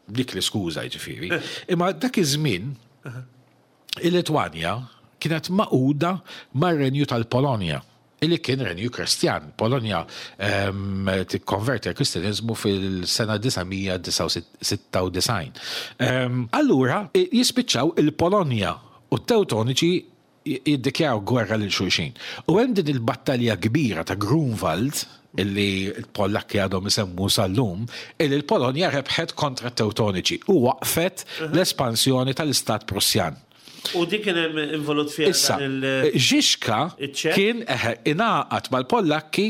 Dik l-iskuża jiġifieri. Imma dak iż-żmien Il-Litwanja kienet magħquda mar-Renju tal-Polonja, li kien renju Kristjan. Polonja tikkonverti għall-Kristjaneżmu fil-sena 996. Allura jispiċċaw il-Polonja u t-Tewtoniċi jiddikjaraw gwerra lil xulxin. U hemm din il-battalja kbira ta' Grunwald, illi l-Pollakki għadhom isemmu sal-lum, illi l-Polonja rebħet kontra t-Tewtoniċi u waqqfet l-espansjoni tal-Istat Prussjan. U dik kien hemm involut fiha Issa, Žižka kien eħe, ingħaqad mal-Pollakki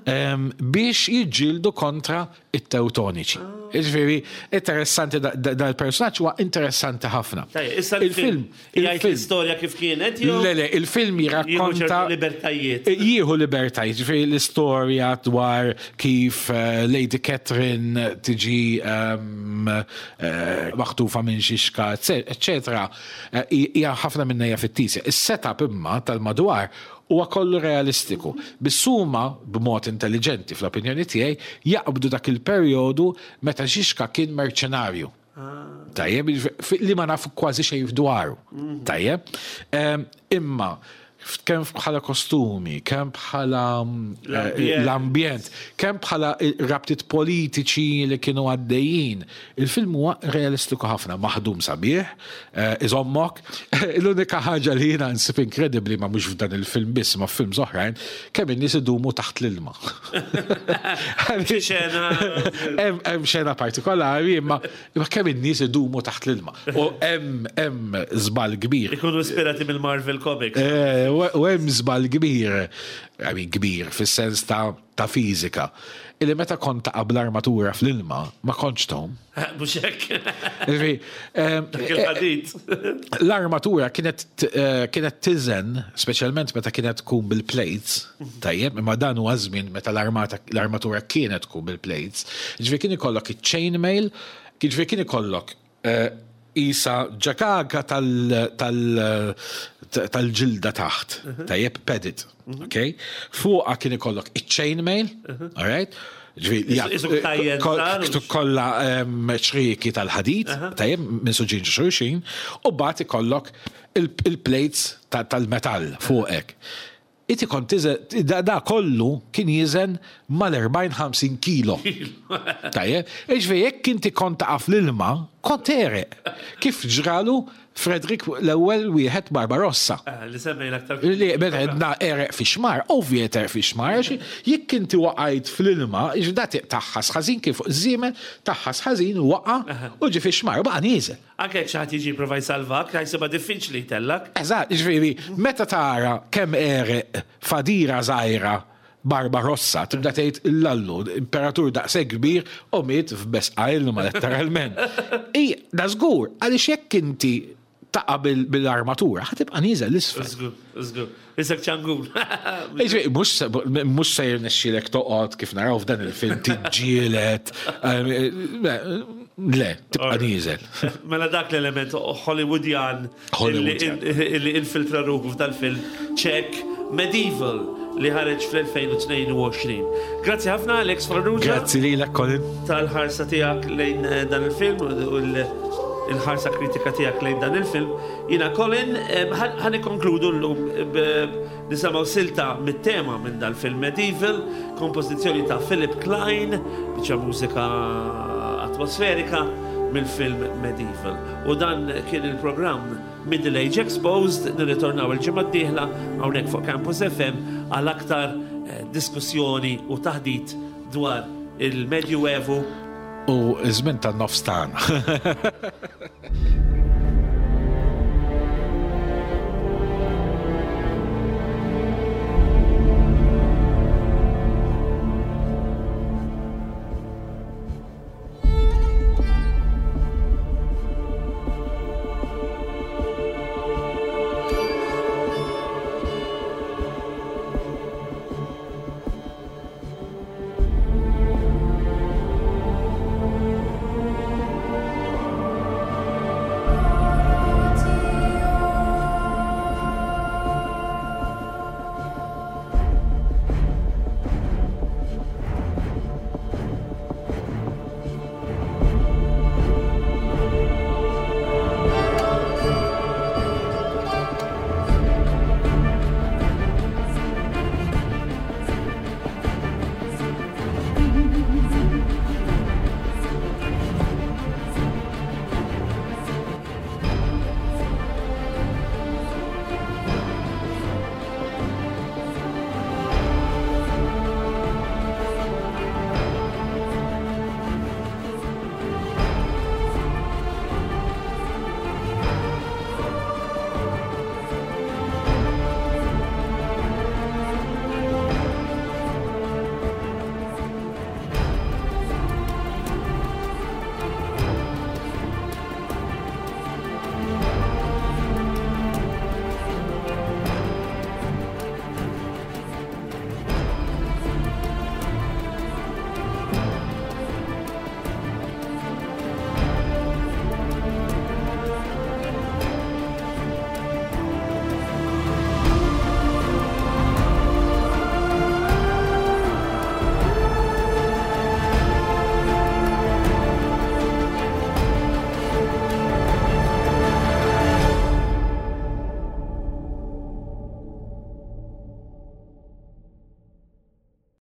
biex jiġġieldu kontra it-Tewtoniċi. Jiġifieri, interessanti dal-personaġġ huwa interessanti ħafna. Issa il-film jgħid l-istorja kif kienet jew? Le, le, il-film jirrakkonta. libertajiet. Jieħu libertajiet, jiġifieri l-istorja dwar kif eh, Lady Catherine tiġi ehm, eh, maħtufa minn xixka, eċetera, eh, hija ħafna minnha hija fittizja. Is-setup imma tal-madwar Huwa kollu realistiku. Biss huma, b'mod intelliġenti fl-opinjoni tiegħi, jaqbdu dak il-perjodu meta Žižka kien merċenarju. Tajjeb, li ma nafu kważi xejn dwaru. Tajjeb. Imma kemm bħala kostumi, kemm bħala eh, l-ambjent, kemm bħala rabtiet politiċi li kienu għaddejjin. Il-film huwa realistiku ħafna, maħdum sabiħ, eh, iżommok. L-unika ħaġa li jiena nsib inkredibbli ma mhux f'dan il-film biss ma f'films oħrajn, kemm in-nies idumu taħt l-ilma. Hemm xena partikolari imma kemm in-nies idumu taħt l-ilma. U hemm hemm żball kbir. Ikunu ispirati mill-Marvel Comics. Eh, u hemm żball kbir, I mean kbir fis-sens ta' ta' fiżika, illi meta kont taqa' bl-armatura fl-ilma ma kontx tgħum. Mhux hekk. Dak il-ħadid. L-armatura kienet eh, kienet tiżen, speċjalment meta kienet tkun bil-plates, tajjeb, imma dan huwa żmien meta l-armatura kienet tkun bil-plates. Ġifieri kien ikollok iċ-chainmail, ġifieri kien ikollok eh, Qisha ġagaga tal-ġilda taħt, tajjeb, padded, ok? Fuqha kien ikollok iċ-chainmail, all right? Kollha ċrieki tal-ħadid, tajjeb, minn suġin xulxin, u mbagħad ikollok il-plates tal-metall fuqek. Inti kont tiżen, da, da kollu kien jiżen mal-40-50 kilo. Tajjeb, jiġifieri jekk inti kont taqa' fl-ilma, kont tegħreq. Kif ġralu Frederick l-ewwel wieħed Barbarossa. Eh, li semmejna aktar. Li meta għedna għereq fix-xmar, ovvja tegħreq fix-xmar, għax jekk inti waqajt fl-ilma, jiġifieri da tagħħas ħażin kien fuq iż-żiemel, tagħħas ħażin waqa' u ġie fix-xmar u baqa' nieżel. Anke jekk xi ħadd jiġi jipprova jsalvak, ħa jsibha diffiċli jtellgħek. Eżatt, jiġifieri meta tara kemm għereq f'għadira żgħira Barbarossa, tibda tgħid illallu, imperatur daqshekk kbir u miet f'besqa ilma letteralment. I, da żgur, għaliex jekk inti taqa' bil-armatura, ħa tibqa' nieżel 'l isfel. Żgur, żgur. Isek ċangur. Jiġifieri mhux se jirnexxielek toqgħod kif naraw f'dan il-film tiġġieled. Le, tibqa' nieżel. Mela dak l-element Hollywoodjan li infiltra ruħu f'dal-film Ċek Medieval li ħareġ fl-2022. Grazzi ħafna Alex Farrugia. Grazzi lilek Colin. Tal-ħarsa tiegħek lejn eh, dan il-film u l-ħarsa kritika tiegħek lejn dan il-film. Jiena Colin, ħa nikkonkludu llum nisimgħu silta mit-tema minn dal-film Medieval, kompożizzjoni ta' Philip Klein, biċċa mużika atmosferika mill-film Medieval. U dan kien il-programm Middle Age Exposed, nirritornaw il-ġimgħa d-dieħla hawnhekk fuq Campus FM għal aktar eh, diskussjoni u taħdit dwar il-Medjuevu u ż-żmien tan-nofs tagħna.